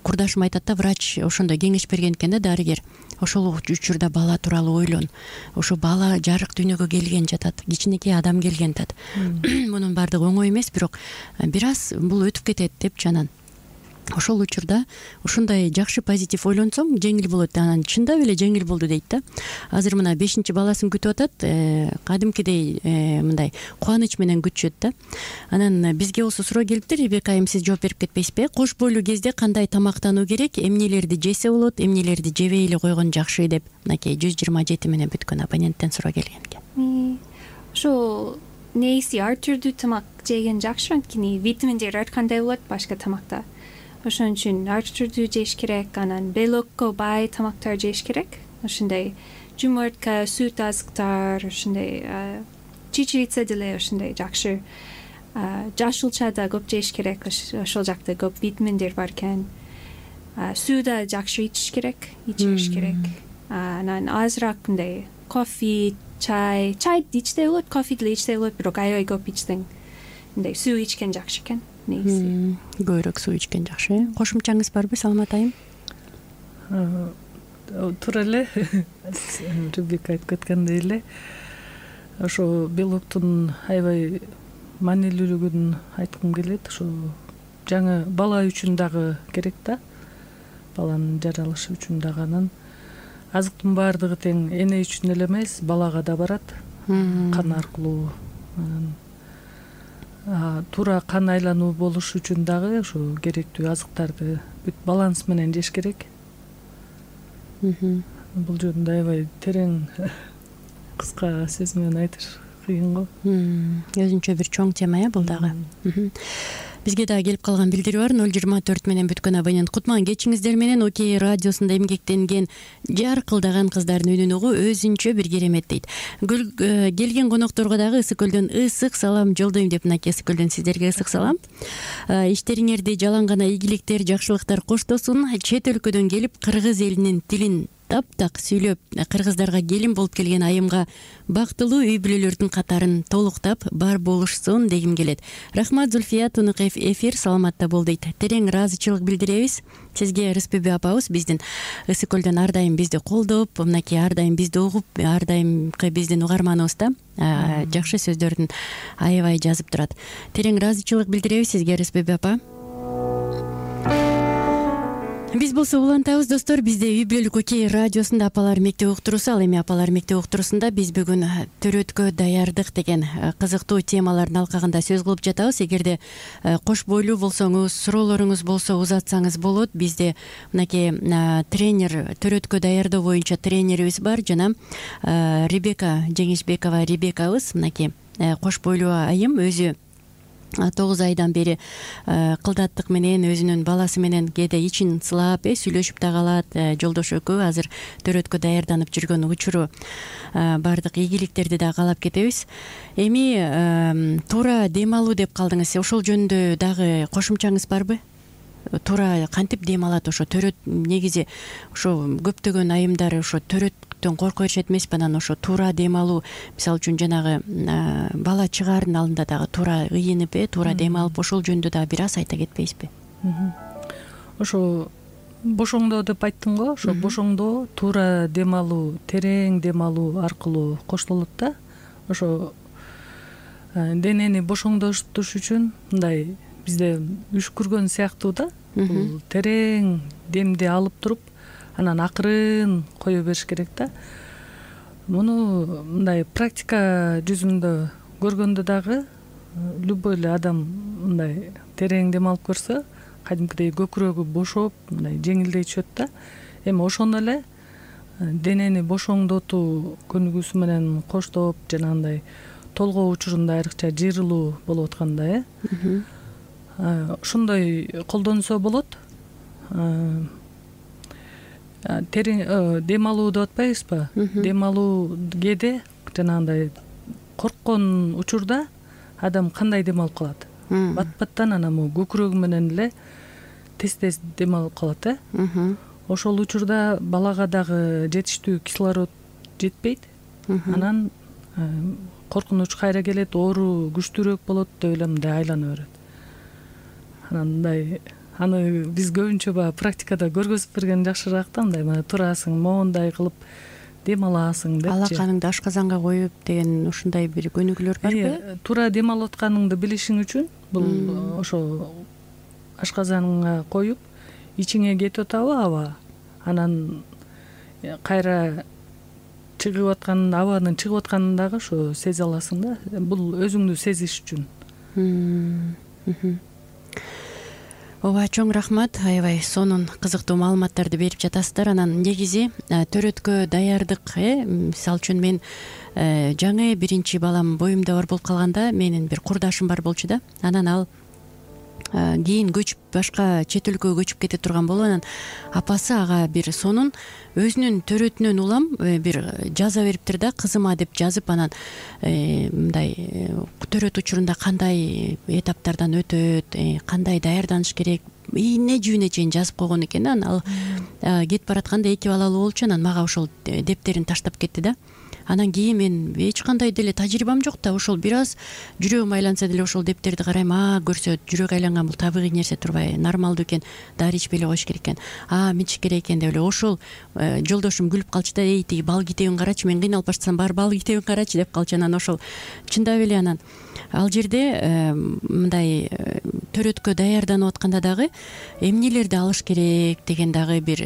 курдашым айтат да, врач ошондой кеңеш берген экен да, дарыгер. Ошол учурда бала тууралуу ойлон. Ошо бала жарык дүйнөгө келген жатат, кичинекей адам келген жатат. Мунун баардыгы оңой эмес, бирок бир аз бул өтүп кетет депчи. Анан ошол учурда ушундай жакшы позитив ойлонсоң жеңил болот. Анан чындап эле жеңил болду дейт да. Азыр мына бешинчи баласын күтүп атат, кадимкидей мындай кубаныч менен күтүшөт да. Анан бизге болсо суроо келиптир, Ребека айым, сиз жооп берип кетпейсизби? Кош бойлуу кезде кандай тамактануу керек, эмнелерди жесе болот, эмнелерди жебей эле койгон жакшы деп мынакей жүз жыйырма жети менен бүткөн абоненттен суроо келген экен. Ошо нейси ар түрдүү тамак жеген жакшы, анткени витаминдер ар кандай болот башка тамакта. Ошон үчүн ар түрдүү жеш керек, анан белокко бай тамактар жеш керек. Ошондой жумуртка, сүт азыктар, ошондой чечевица деле ошондой жакшы. Жашыл чай да көп жеш керек, ошол жакта көп витаминдер бар экен. Суу да жакшы ичиш керек, ичиш керек. Анан азыраак мындай кофе, чай, чай ичсе болот, кофе деле ичсе болот, бирок аябай көп ичсең мындай суу ичкен жакшы экен. Көбүрөөк суу ичкен жакшы. Кошумчаңыз барбы, Саламат айым? Туура эле, Ребека айтып кеткендей эле, ошо белоктун аябай маанилүүлүгүн айткым келет. Ошо жаңы бала үчүн дагы керек да, баланын жаралышы үчүн дагы. Анан азыктын баардыгы тең эне үчүн эле эмес, балага да барат, кан аркылуу. Туура кан айлануу болуш үчүн дагы ошо керектүү азыктарды бүт баланс менен жеш керек. Бул жөнүндө аябай терең кыска сөз менен айтыш кыйын го. Өзүнчө бир чоң тема, э, бул дагы. бизге дагы келип калган билдирүү бар. ноль жыйырма төрт менен бүткөн абонент. Кутман кечиңиздер менен Окей радиосунда эмгектенген жаркылдаган кыздардын үнүн угуу өзүнчө бир керемет дейт. Келген конокторго дагы Ысык көлдөн ысык салам жолдойм деп, мынакей Ысык көлдөн сиздерге ысык салам. Иштериңерди жалаң гана ийгиликтер, жакшылыктар коштосун. Чет өлкөдөн келип кыргыз элинин тилин таптак сүйлөп кыргыздарга келин болуп келген айымга бактылуу үй бүлөлөрдүн катарын толуктап бар болушсун дегим келет. Рахмат Зульфия, Тунуков эфир саламатта бол дейт. Терең ыраазычылык билдиребиз сизге. Рыспебе апабыз биздин Ысык көлдөн ар дайым бизди колдоп, мынакей ар дайым бизди угуп, ар дайымкы биздин угарманыбыз да, жакшы сөздөрдүн аябай жазып турат. Терең ыраазычылык билдиребиз сизге, Рыспебе апа. Биз болсо улантабыз достор, бизде үй бүлөлүк Окей радиосунда апалар мектеп уктуруусу, ал эми апалар мектеп уктуруусунда биз бүгүн төрөткө даярдык деген кызыктуу темалардын алкагында сөз кылып жатабыз. Эгерде кош бойлуу болсоңуз, суроолоруңуз болсо узатсаңыз болот. Бизде мынакей тренер, төрөткө даярдоо боюнча тренерибиз бар, жана Ребека Жеңишбекова Ребекабыз, мынакей кош бойлуу айым, өзү тогуз айдан бери кылдаттык менен өзүнүн баласы менен кээде ичин сылап э сүйлөшүп да калат. Жолдошу экөө азыр төрөткө даярданып жүргөн учуру баардык ийгиликтерди да каалап кетебиз. Эми туура дем алуу деп калдыңыз, ошол жөнүндө дагы кошумчаңыз барбы? Туура кантип дем алат ошо төрөт? Негизи ошо көптөгөн айымдар ошо төрөттөн корко беришет эмеспи? Анан ошо туура дем алуу, мисалы үчүн жанагы бала чыгаардын алдында дагы туура ыйынып э туура дем алып, ошол жөнүндө дагы бир аз айта кетпейсизби? Ошо бошоңдоо деп айттың го, ошо бошоңдоо туура дем алуу, терең дем алуу аркылуу коштолот да. Ошо денени бошоңдотуш үчүн мындай бизде үшкүргөн сыяктуу да, бул терең демди алып туруп анан акырын кое бериш керек да. Муну мындай практика жүзүндө көргөндө дагы любой эле адам мындай терең дем алып көрсө кадимкидей көкүрөгү бошоп, мындай жеңилдей түшөт да. Эми ошондо эле денени бошоңдотуу көнүгүүсү менен коштоп, жанагындай толгоо учурунда айрыкча жыйрылуу болуп атканда э ошондой колдонсо болот. Терең дем алуу деп атпайбызбы? Дем алуу кээде жанагындай корккон учурда адам кандай дем алып калат? Бат-баттан анан могу көкүрөгү менен эле тез-тез дем алып калат э. Ошол учурда балага дагы жетиштүү кислород жетпейт. Анан коркунуч кайра келет, оору күчтүүрөөк болот деп эле мындай айлана берет. Анан мындай аны биз көбүнчө баягы практикада көргөзүп берген жакшыраак да, мындай мына турасың, моундай кылып дем аласың депчи. Алаканыңды ашказанга коюп деген ушундай бир көнүгүүлөр барбы? Туура дем алып атканыңды билишиң үчүн бул ошо ашказаныңа коюп, ичиңе кетип атабы аба, анан кайра чыгып аткан абанын чыгып атканын дагы ошо сезе аласың да. Бул өзүңдү сезиш үчүн. Ооба, чоң рахмат, аябай сонун кызыктуу маалыматтарды берип жатасыздар. Анан негизи төрөткө даярдык э мисалы үчүн мен жаңы биринчи балам боюмда бар болуп калганда менин бир курдашым бар болчу да. Анан ал кийин көчүп башка чет өлкөгө көчүп кете турган болуп, анан апасы ага бир сонун өзүнүн төрөтүнөн улам бир жаза бериптир да, кызыма деп жазып, анан мындай төрөт учурунда кандай этаптардан өтөт, кандай даярданыш керек, ийне жүүнө чейин жазып койгон экен да. Анан ал кетип баратканда эки балалуу болчу, анан мага ошол дептерин таштап кетти да. Анан кийин мен эч кандай деле тажрыйбам жок да, ошол бир аз жүрөгүм айланса деле ошол дептерди карайм, а көрсө жүрөк айланган бул табигый нерсе турбай, нормалдуу экен, дары ичпей эле коюш керек экен, а мынча керек экен деп эле ошол жолдошум күлүп калчу да, эй тиги бал китебин карачы, мен кыйналып баштасам бар бал китебин карачы деп калчу. Анан ошол чындап эле анан ал жерде мындай төрөткө даярданып атканда дагы эмнелерди алыш керек деген дагы бир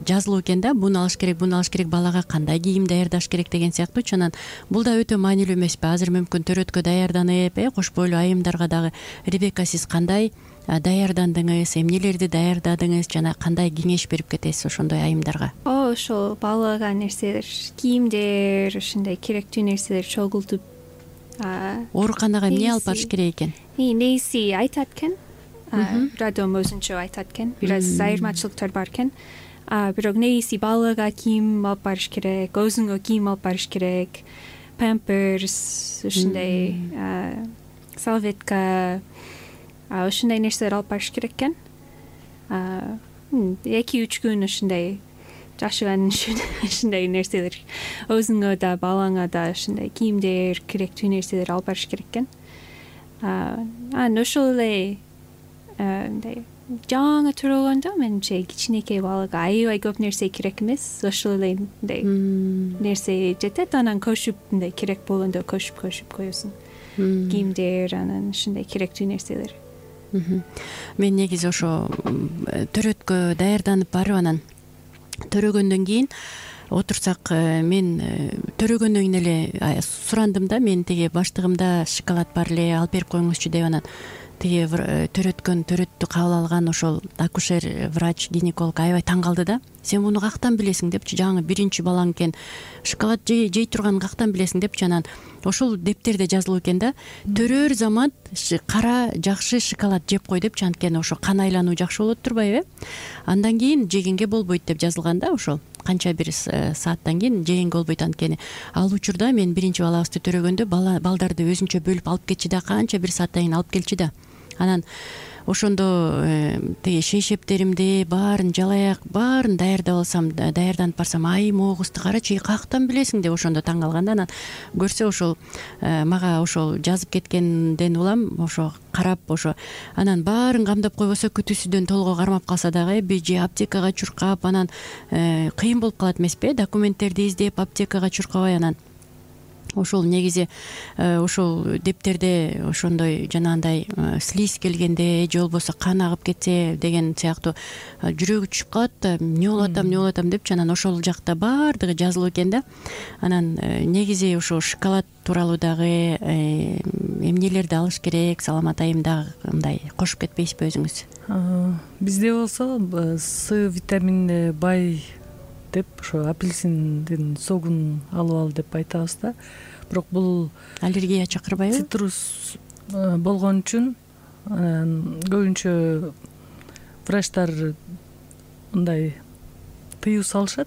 жазылуу экен да. Буну алыш керек, буну алыш керек, балага кандай кийим даярдаш керек деген сыяктуучу. Анан бул да өтө маанилүү эмеспи? Азыр мүмкүн төрөткө даярданып э кош бойлуу айымдарга дагы Ребека, сиз кандай даярдандыңыз, эмнелерди даярдадыңыз, жана кандай кеңеш берип кетесиз ошондой айымдарга? О, ошол балага нерселер, кийимдер, ушундай керектүү нерселер чогултуп ооруканага эмне алып барыш керек экен? Нээси айтат экен, бир адам өзүнчө айтат экен, бир аз айырмачылыктар бар экен. Бирок нээси балага кийим алып барыш керек, өзүңө кийим алып барыш керек, памперс, ушундай салветка, ушундай нерселер алып барыш керек экен. эки үч күн ушундай жашаган үчүн ушундай нерселер өзүңө да балаңа да ушундай кийимдер, керектүү нерселер алып барыш керек экен. Анан ошол эле мындай жаңы төрөлгөндө менимче кичинекей балага аябай көп нерсе керек эмес, ошол эле мындай нерсе жетет. Анан көшүп мындай керек болгондо көшүп көшүп коесуң, кийимдер, анан ушундай керектүү нерселер. Мен негизи ошо төрөткө даярданып барып анан төрөгөндөн кийин отурсак, мен төрөгөндөн кийин эле сурандым да, мен тиги баштыгымда шоколад бар эле, алып берип коюңузчу деп. Анан тиги төрөткөн төрөттү кабыл алган ошол акушер, врач, гинеколог аябай таң калды да. Сен муну кактан билесиң депчи, жаңы биринчи балаң экен, шоколад жей турганын кактан билесиң депчи. Анан ошол дептерде жазылуу экен да, төрөр замат кара жакшы шоколад жеп кой депчи, анткени ошо кан айлануу жакшы болот турбайбы? Андан кийин жегенге болбойт деп жазылган да, ошол канча бир сааттан кийин жегенге болбойт. Анткени ал учурда мен биринчи балабызды төрөгөндө балдарды өзүнчө бөлүп алып кетчи да, канча бир сааттан кийин алып келчи да. Анан ошондо тиги шейшептеримди баарын, жалаяк баарын даярдап алсам, даярданып барсам, ай могузду карачы, кактан билесиң деп ошондо таң калган да. Анан көрсө ошол мага ошол жазып кеткенден улам ошо карап, ошо анан баарын камдап койбосо, күтүүсүдөн толго кармап калса дагы би же аптекага чуркап, анан кыйын болуп калат эмеспи, документтерди издеп аптекага чуркабай. Анан ошол негизи ошол дептерде ошондой жанагындай слиз келгенде же болбосо кан агып кетсе деген сыяктуу жүрөгү түшүп калат да, эмне болуп атам, эмне болуп атам депчи. Анан ошол жакта баардыгы жазылуу экен да. Анан негизи ошо шоколад тууралуу дагы эмнелерди алыш керек, саламат айымда мындай кошуп кетпейсизби өзүңүз? Бизде болсо С витаминине бай деп ошо апельсиндин согун алып ал деп айтабыз да. Бирок бул аллергия чакырбайбы? Цитрус болгон үчүн көбүнчө врачтар мындай тыюу салышат.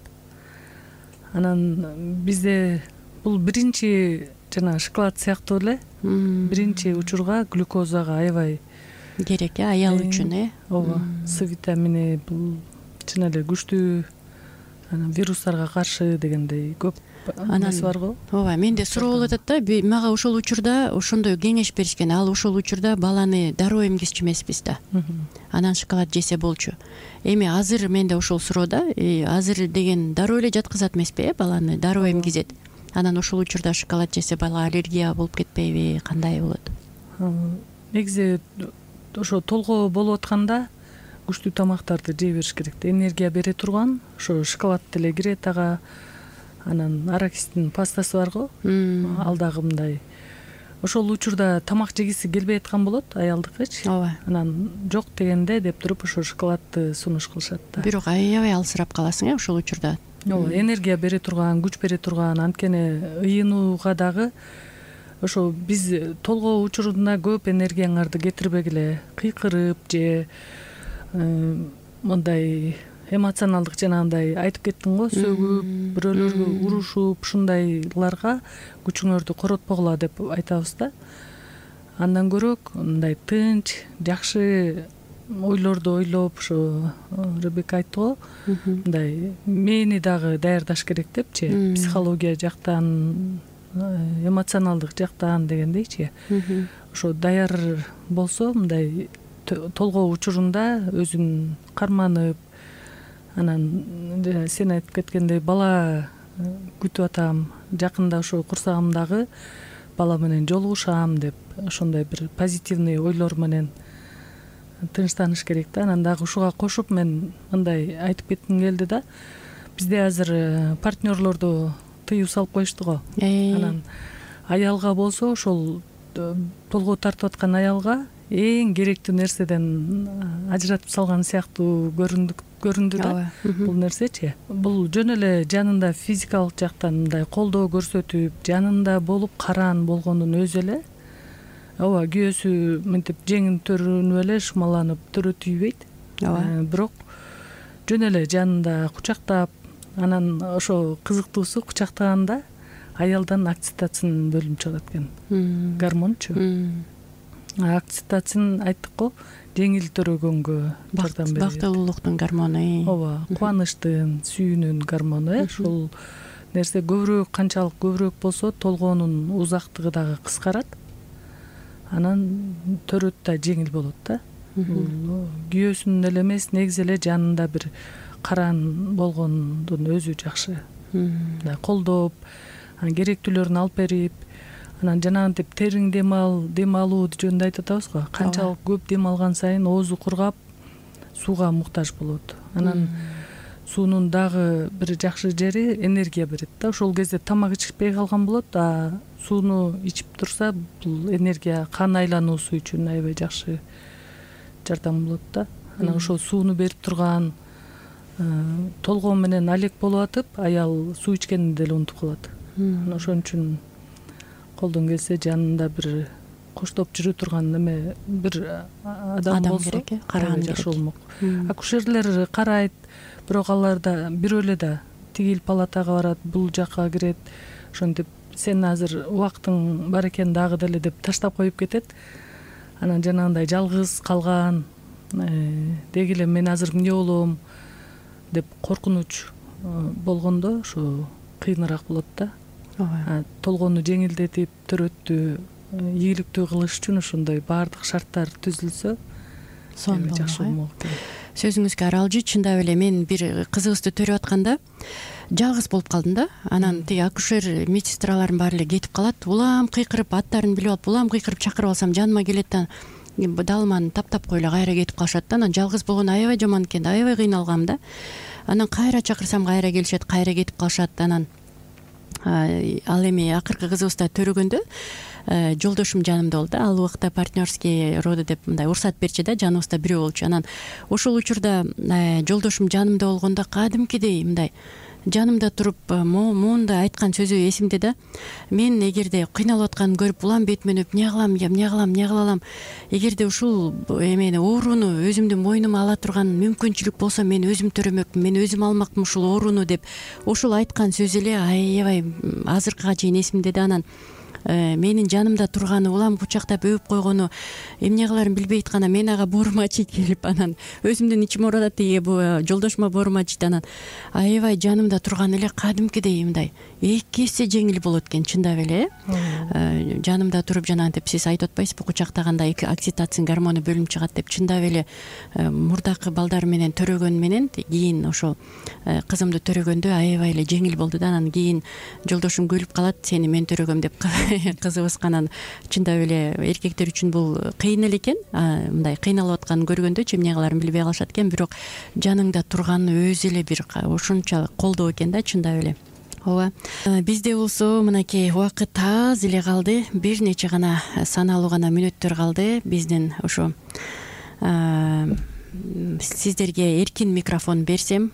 Анан бизде бул биринчи жана шоколад сыяктуу эле биринчи учурга глюкозага аябай керек, э, аял үчүн, э? Ооба, С витамини бул чын эле күчтүү, анан вирустарга каршы дегендей көп нерсе бар го. Ооба, менде суроо болуп атат да, мага ошол учурда ошондой кеңеш беришкен. Ал ошол учурда баланы дароо эмгизчү эмеспиз да. Анан шоколад жесе болчу. Эми азыр менде ошол суроо да, азыр деген дароо эле жаткызат эмеспи, э, баланы дароо эмгизет. Анан ошол учурда шоколад жесе бала аллергия болуп кетпейби, кандай болот? Негизи ошо толгоо болуп атканда күчтүү тамактарды жей бериш керек. Энергия бере турган ошо шоколад деле кирет ага. Анан арахистин пастасы бар го, ал дагы мындай. Ошол учурда тамак жегиси келбей аткан болот аялдыкычы. Ооба. Анан жок дегенде деп туруп ошо шоколадты сунуш кылышат да. Бирок аябай алсырап каласың, э, ошол учурда. Ооба, энергия бере турган, күч бере турган, анткени ыйынууга дагы ошо биз толгоо учурунда көп энергияңарды кетирбегиле, кыйкырып же мындай эмоционалдык жанагындай айтып кеттиң го, сөгүп, бирөөлөргө урушуп, ушундайларга күчүңөрдү коротпогула деп айтабыз да. Андан көрөк мындай тынч, жакшы ойлорду ойлоп, ошо Ребека айтты го, мындай мээни дагы даярдаш керек депчи, психология жактан, эмоционалдык жактан дегендейчи. Ошо даяр болсо мындай толгоо учурунда өзүн карманып, анан сен айтып кеткендей бала күтүп атам, жакында ошо курсагымдагы бала менен жолугушам деп ошондой бир позитивный ойлор менен тынчтаныш керек да. Анан дагы ушуга кошуп мен мындай айтып кетким келди да. Бизде азыр партнерлорду тыюу салып коюшту го. Анан аялга болсо ошол толгоо тартып аткан аялга эң керектүү нерседен ажыратып салган сыяктуу көрүндү да бул нерсечи. Бул жөн эле жанында физикалык жактан мындай колдоо көрсөтүп, жанында болуп караан болгондун өзү эле ооба күйөөсү мынтип жеңин төрүнүп эле шумаланып төрө тийбейт. Ооба. Бирок жөн эле жанында кучактап, анан ошо кызыктуусу кучактаганда аялдан окситоцин бөлүнүп чыгат экен. Гормончу. Окситоцин айттык го, жеңил төрөгөнгө жардам берет. Бактылуулуктун гормону. Ооба, кубанычтын, сүйүүнүн гормону. Ошол нерсе көбүрөөк, канчалык көбүрөөк болсо, толгоонун узактыгы дагы кыскарат. Анан төрөт да жеңил болот да. Күйөөсүнүн эле эмес, негизи эле жанында бир караан болгондун өзү жакшы. Колдоп, анан керектүүлөрүн алып берип, анан жанагынтип териң дем ал, дем алуу жөнүндө айтып атабыз го. Канчалык көп дем алган сайын оозу кургап, сууга муктаж болот. Анан суунун дагы бир жакшы жери энергия берет да. Ошол кезде тамак ичпей калган болот, а сууну ичип турса, бул энергия кан айлануусу үчүн аябай жакшы жардам болот да. Анан ошол сууну берип турган, толгоо менен алек болуп атып, аял суу ичкенин деле унутуп калат. Анан ошон үчүн колдон келсе жанында бир коштоп жүрө турган неме бир адам болсо караган жакшы болмок. Акушерлер карайт, бирок алар да бирөө эле да тигил палатага барат, бул жакка кирет. Ошентип сен азыр убактың бар экен дагы деле деп таштап коюп кетет. Анан жанагындай жалгыз калган, деги эле мен азыр эмне болом деп коркунуч болгондо ошо кыйыныраак болот да. Толгоону жеңилдетип, төрөттү ийгиликтүү кылыш үчүн ошондой баардык шарттар түзүлсө сонун жакшы болмок. Сөзүңүзгө аралжы, чындап эле мен бир кызыбызды төрүп атканда жалгыз болуп калдым да. Анан тиги акушер медсестралардын баары эле кетип калат. Улам кыйкырып, аттарын билип алып, улам кыйкырып чакырып алсам жаныма келет да далманы таптап коюла кайра кетип калышат да. Анан жалгыз болгон аябай жаман экен, аябай кыйналгам да. Анан кайра чакырсам кайра келишет, кайра кетип калышат. Анан ал эми акыркы кызыбызда төрөгөндө жолдошум жанымда болду. Ал убакта партнерский роды деп мындай уруксат берчү да, жаныбызда бирөө болчу. Анан ошол учурда жолдошум жанымда болгондо кадимкидей мындай жанымда туруп моунда айткан сөзү эсимде да. Мен эгерде кыйналып атканын көрүп улам бетимен өп эмне кылам, эмне кылам, эмне кыла алам, эгерде ушул эмени ооруну өзүмдүн мойнума ала турган мүмкүнчүлүк болсо мен өзүм төрөмөкмүн, мен өзүм алмакмын ушул ооруну деп ошол айткан сөзү эле аябай азыркыга чейин эсимде да. Анан менин жанымда турганы, улам кучактап өп койгону, эмне кыларын билбей атканда мен ага боорум ачыйт келип, анан өзүмдүн ичим оорат, тиги жолдошума боорум ачыйт. Анан аябай жанымда турганы эле кадимкидей мындай эки эсе жеңил болот экен, чындап эле. Жанымда туруп жанагынтип сиз айтып атпайсызбы, кучактаганда окситоцин гормону бөлүнүп чыгат деп. Чындап эле мурдакы балдар менен төрөгөн менен кийин ошол кызымды төрөгөндө аябай эле жеңил болду да. Анан кийин жолдошум күлүп калат, сени мен төрөгөм деп. Кызыбыз анан чындап эле эркектер үчүн бул кыйын эле экен. Мындай кыйналып атканын көргөндө эмне кыларын билбей калышат экен, бирок жаныңда турганы өзү эле бир ошончо колдоо экен да, чындап эле. Ооба. Бизде болсо мынакей убакыт аз эле калды. Бир нече гана саналуу гана мүнөттөр калды. Биздин ошо сиздерге эркин микрофон берсем,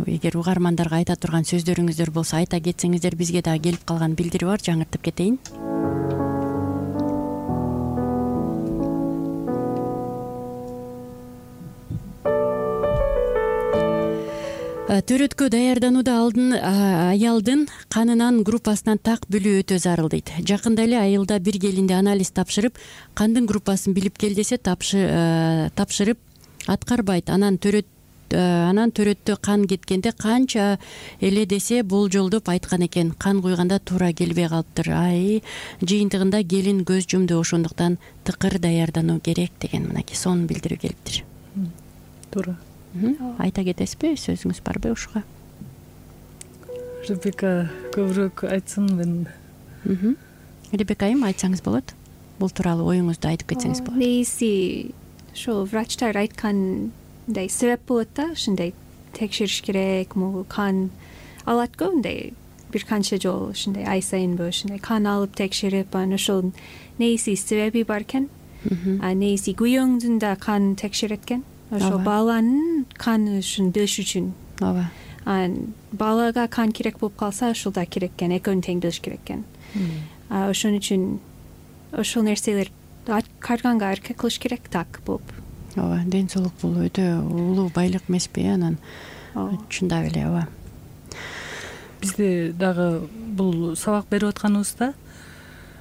эгер угармандарга айта турган сөздөрүңүздөр болсо айта кетсеңиздер, бизге дагы келип калган билдири бар, жаңыртып кетейин. Төрөткө даярданууда алдын аялдын канынын группасынан так билүү өтө зарыл дейт. Жакында эле айылда бир келинде анализ тапшырып, кандын группасын билип кел десе тапшырып аткарбайт. Анан төрөт анан төрөттө кан кеткенде канча эле десе болжолдоп айткан экен. Кан куйганда туура келбей калыптыр. Ай, жыйынтыгында келин көз жумду, ошондуктан тыкыр даярдануу керек деген мынакей сонун билдирүү келиптир. Туура. Айта кетесизби, сөзүңүз барбы ушуга? Ребека көбүрөөк айтсын, мен. Ребека айым, айтсаңыз болот. Бул тууралуу оюңузду айтып кетсеңиз болот. Негизи ошо врачтар айткандай себеп болот да, ушундай текшериш керек, могу кан алат го, мындай бир канча жолу ушундай ай сайынбы ушундай кан алып текшерип, анан ошол негизи себеби бар экен. А негизи күйөөңдүн да кан текшерет экен. Ошо баланын канышын билиш үчүн. ооба. Анан балага кан керек болуп калса ушул да керек экен, экөөнү тең билиш керек экен. Ошон үчүн ошол нерселер карганга аракет кылыш керек так болуп. ооба, ден соолук бул өтө улуу байлык эмеспи? Анан чындап эле ооба. Бизде дагы бул сабак берип атканыбызда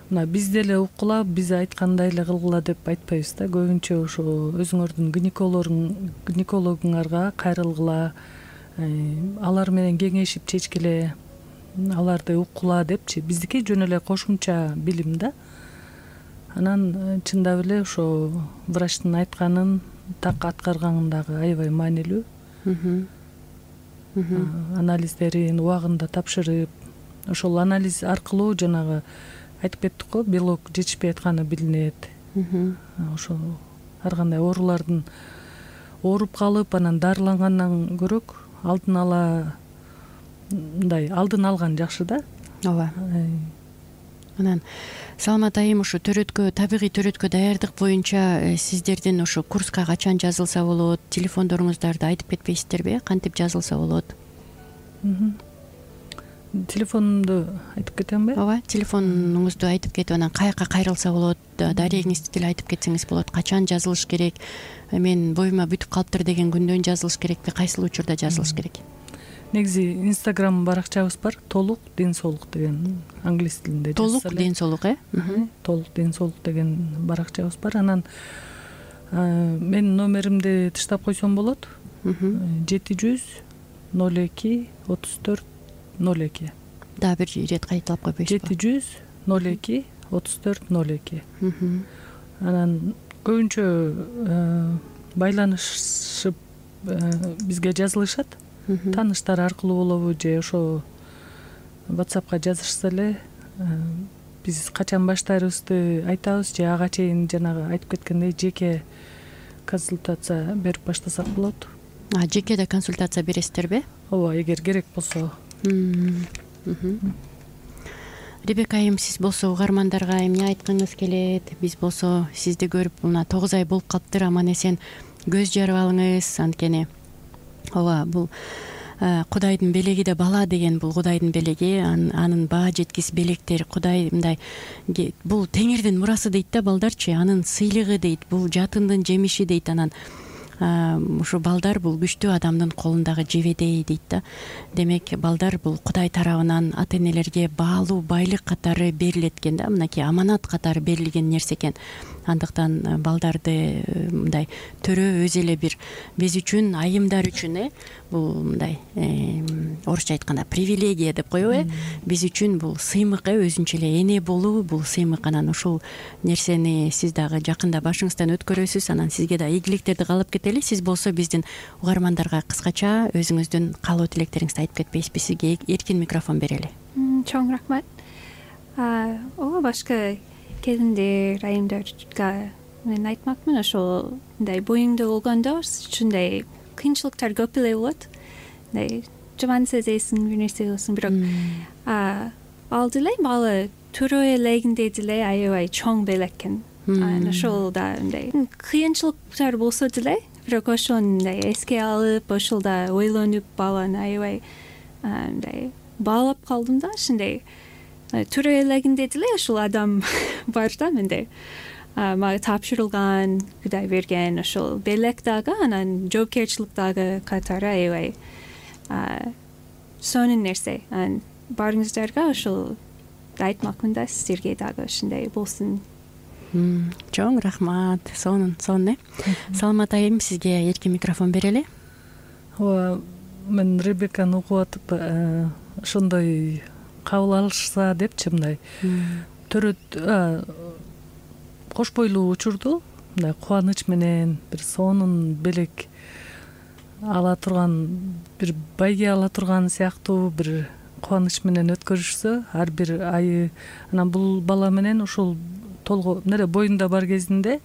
мына биз деле уккула, биз айткандай эле кылгыла деп айтпайбыз да. Көбүнчө ошо өзүңөрдүн гинекологуңарга кайрылгыла, алар менен кеңешип чечкиле, аларды уккула депчи. Биздики жөн эле кошумча билим да. Анан чындап эле ошо врачтын айтканын так аткарган дагы аябай маанилүү. Анализдерин убагында тапшырып, ошол анализ аркылуу жанагы айтып кеттик го, белок жетишпей атканы билинет. Ошо ар кандай оорулардын ооруп калып, анан дарылангандан көрөк алдын ала мындай алдын алган жакшы да. ооба. Анан Саламат айым, ушу төрөткө, табигый төрөткө даярдык боюнча сиздердин ошо курска качан жазылса болот, телефондоруңуздарды айтып кетпейсиздерби? Кантип жазылса болот? Телефонумду айтып кетемби? ооба, телефонуңузду айтып кетип, анан каяка кайрылса болот, дарегиңизди деле айтып кетсеңиз болот. Качан жазылыш керек? Мен боюма бүтүп калыптыр деген күндөн жазылыш керекпи? Кайсыл учурда жазылыш керек? Негизи Инстаграм баракчабыз бар, толук ден соолук деген, англис тилинде жазса эле. Толук ден соолук, э? Толук ден соолук деген баракчабыз бар. Анан менин номеримди тыштап койсом болот. жети жүз ноль эки отуз төрт ноль эки. Дагы бир ирет кайталап койбойсузбу? жети жүз ноль эки отуз төрт ноль эки. Анан көбүнчө байланышып бизге жазылышат. Тааныштар аркылуу болобу же ошо WhatsAppка жазышса эле биз качан баштайбызды айтабыз, же ага чейин жанагы айтып кеткендей жеке консультация берип баштасак болот. А, жекеде консультация бересиздерби? Ооба, эгер керек болсо. Ребека айым, сиз болсо угармандарга эмне айткыңыз келет? Биз болсо сизди көрүп мына тогуз ай болуп калыптыр, аман эсен көз жарып алыңыз. Анткени ооба, бул Кудайдын белеги да бала деген, бул Кудайдын белеги, анын баа жеткис белектер, Кудай мындай, бул Теңирдин мурасы дейт да балдарчы, анын сыйлыгы дейт, бул жатындын жемиши дейт. Анан ушу балдар бул күчтүү адамдын колундагы жебедей дейт да. Демек, балдар бул Кудай тарабынан ата энелерге баалуу байлык катары берилет экен да, мынакей аманат катары берилген нерсе экен. Андыктан балдарды мындай төрө өзү эле бир биз үчүн, айымдар үчүн, э бул мындай орусча айтканда привилегия деп коебу, э биз үчүн бул сыймык, э өзүнчө эле эне болуу бул сыймык. Анан ушул нерсени сиз дагы жакында башыңыздан өткөрөсүз. Анан сизге да ийгиликтерди каалап кетели. Сиз болсо биздин угармандарга кыскача өзүңүздүн каалоо тилектериңизди айтып кетпейсизби? Сизге эркин микрофон берели. Чоң рахмат. Ооба, башка келиндер, айымдарга мен айтмакмын, ошол мындай боюңдо болгондо ушундай кыйынчылыктар көп эле болот. Мындай жаман сезесиң, бир нерсе болсун, бирок ал деле бала төрө элегинде деле аябай чоң белек экен. Анан ошол да мындай кыйынчылыктар болсо деле, бирок ошону мындай эске алып, ошол да ойлонуп, баланы аябай мындай баалап калдым да. Ушундай төрө элегинде деле ошол адам бар да менде. Мага тапшырылган, Кудай берген ошол белек дагы, анан жоопкерчилик дагы катары аябай сонун нерсе. Анан барыңыздарга ошол айтмакмын да, сиздерге дагы ушундай болсун. Чоң рахмат. Сонун, сонун, э. Саламат айым, сизге эркин микрофон берели. Ооба, мен Ребеканы угуп атып, ошондой кабыл алышса депчи, мындай төрөт кош бойлуу учурду мындай кубаныч менен бир сонун белек ала турган, бир байге ала турган сыяктуу бир кубаныч менен өткөрүшсө ар бир айы. Анан бул бала менен ошол толго нере боюнда бар кезинде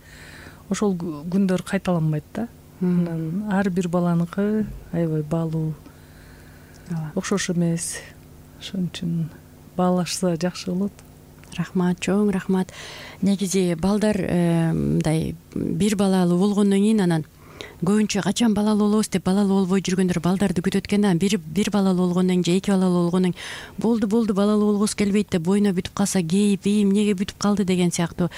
ошол күндөр кайталанбайт да. Анан ар бир баланыкы аябай баалуу, окшош эмес. Ошон үчүн баалашса жакшы болот. Рахмат, чоң рахмат. Негизи балдар мындай бир балалуу болгондон кийин анан көбүнчө качан балалуу болобуз деп балалуу болбой жүргөндөр балдарды күтөт экен да, бир бир балалуу болгондон кийин же эки балалуу болгондон кийин болду болду балалуу болгусу келбейт деп боюна бүтүп калса кейип, ии эмнеге бүтүп калды деген сыяктуу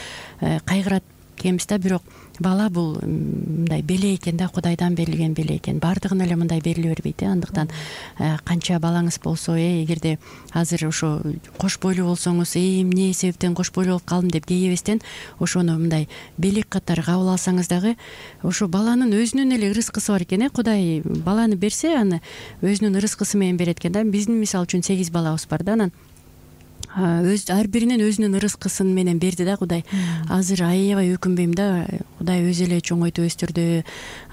кайгырат экенбиз да. Бирок бала бул мындай беле экен да, Кудайдан берилген беле экен, баардыгына эле мындай бериле бербейт э. Андыктан канча балаңыз болсо, э эгерде азыр ошо кош бойлуу болсоңуз, э эмне себептен кош бойлуу болуп калдым деп кейебестен ошону мындай белек катары кабыл алсаңыз дагы ошо баланын өзүнүн эле ырыскысы бар экен э. Кудай баланы берсе аны өзүнүн ырыскысы менен берет экен да. Биздин мисалы үчүн сегиз балабыз бар да, анан өз ар биринен өзүнүн ырыскысын менен берди да Кудай. Азыр аябай өкүнбөйм да, Кудай өзү эле чоңойтуп өстүрдү.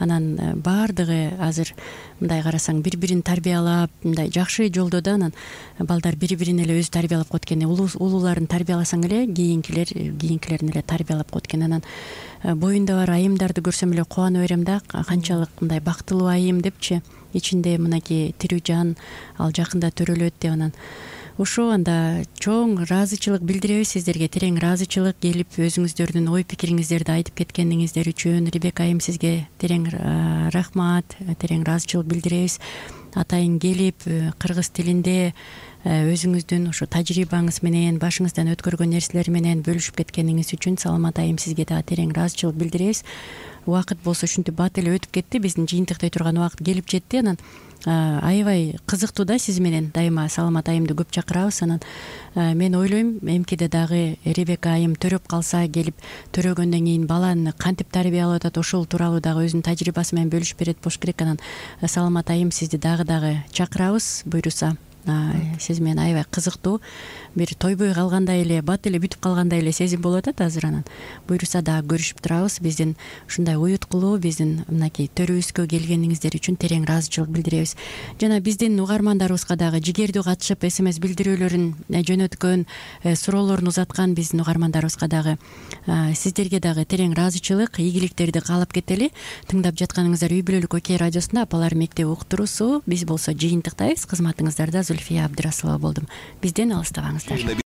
Анан баардыгы азыр мындай карасаң бири бирин тарбиялап, мындай жакшы жолдо да. Анан балдар бири бирин эле өзү тарбиялап коет экен. Улууларын тарбияласаң эле кийинкилер кийинкилерин эле тарбиялап коет экен. Анан боюнда бар айымдарды көрсөм эле кубана берем да, канчалык мындай бактылуу айым депчи, ичинде мынакей тирүү жан, ал жакында төрөлөт деп. Анан ошо анда чоң ыраазычылык билдиребиз сиздерге, терең ыраазычылык келип өзүңүздөрдүн ой пикириңиздерди айтып кеткениңиздер үчүн Ребека айым сизге терең рахмат, терең ыраазычылык билдиребиз. Атайын келип кыргыз тилинде өзүңүздүн ошо тажрыйбаңыз менен, башыңыздан өткөргөн нерселер менен бөлүшүп кеткениңиз үчүн Саламат айым сизге дагы терең ыраазычылык билдиребиз. Убакыт болсо ушинтип бат эле өтүп кетти, биздин жыйынтыктай турган убакыт келип жетти. Анан аябай кызыктуу да, сиз менен дайыма Саламат айымды көп чакырабыз. Анан мен ойлойм эмкиде дагы Ребека айым төрөп калса, келип төрөгөндөн кийин баланы кантип тарбиялап атат ошол тууралуу дагы өзүнүн тажрыйбасы менен бөлүшүп берет болуш керек. Анан Саламат айым сизди дагы дагы чакырабыз буйруса. Сиз менен аябай кызыктуу, бир тойбой калгандай эле, бат эле бүтүп калгандай эле сезим болуп атат азыр. Анан буйруса дагы көрүшүп турабыз. Биздин ушундай уюткулуу, биздин мынакей төрүбүзгө келгениңиздер үчүн терең ыраазычылык билдиребиз. Жана биздин угармандарыбызга дагы жигердүү катышып смс билдирүүлөрүн жөнөткөн, суроолорун узаткан биздин угармандарыбызга дагы сиздерге дагы терең ыраазычылык, ийгиликтерди каалап кетели. Тыңдап жатканыңыздар Үй бүлөлүк Окей радиосунда Апалар мектеби уктуруусу. Биз болсо жыйынтыктайбыз. Кызматыңыздарда Зульфия Абдрасулова болдум. Бизден алыстабаңыздар.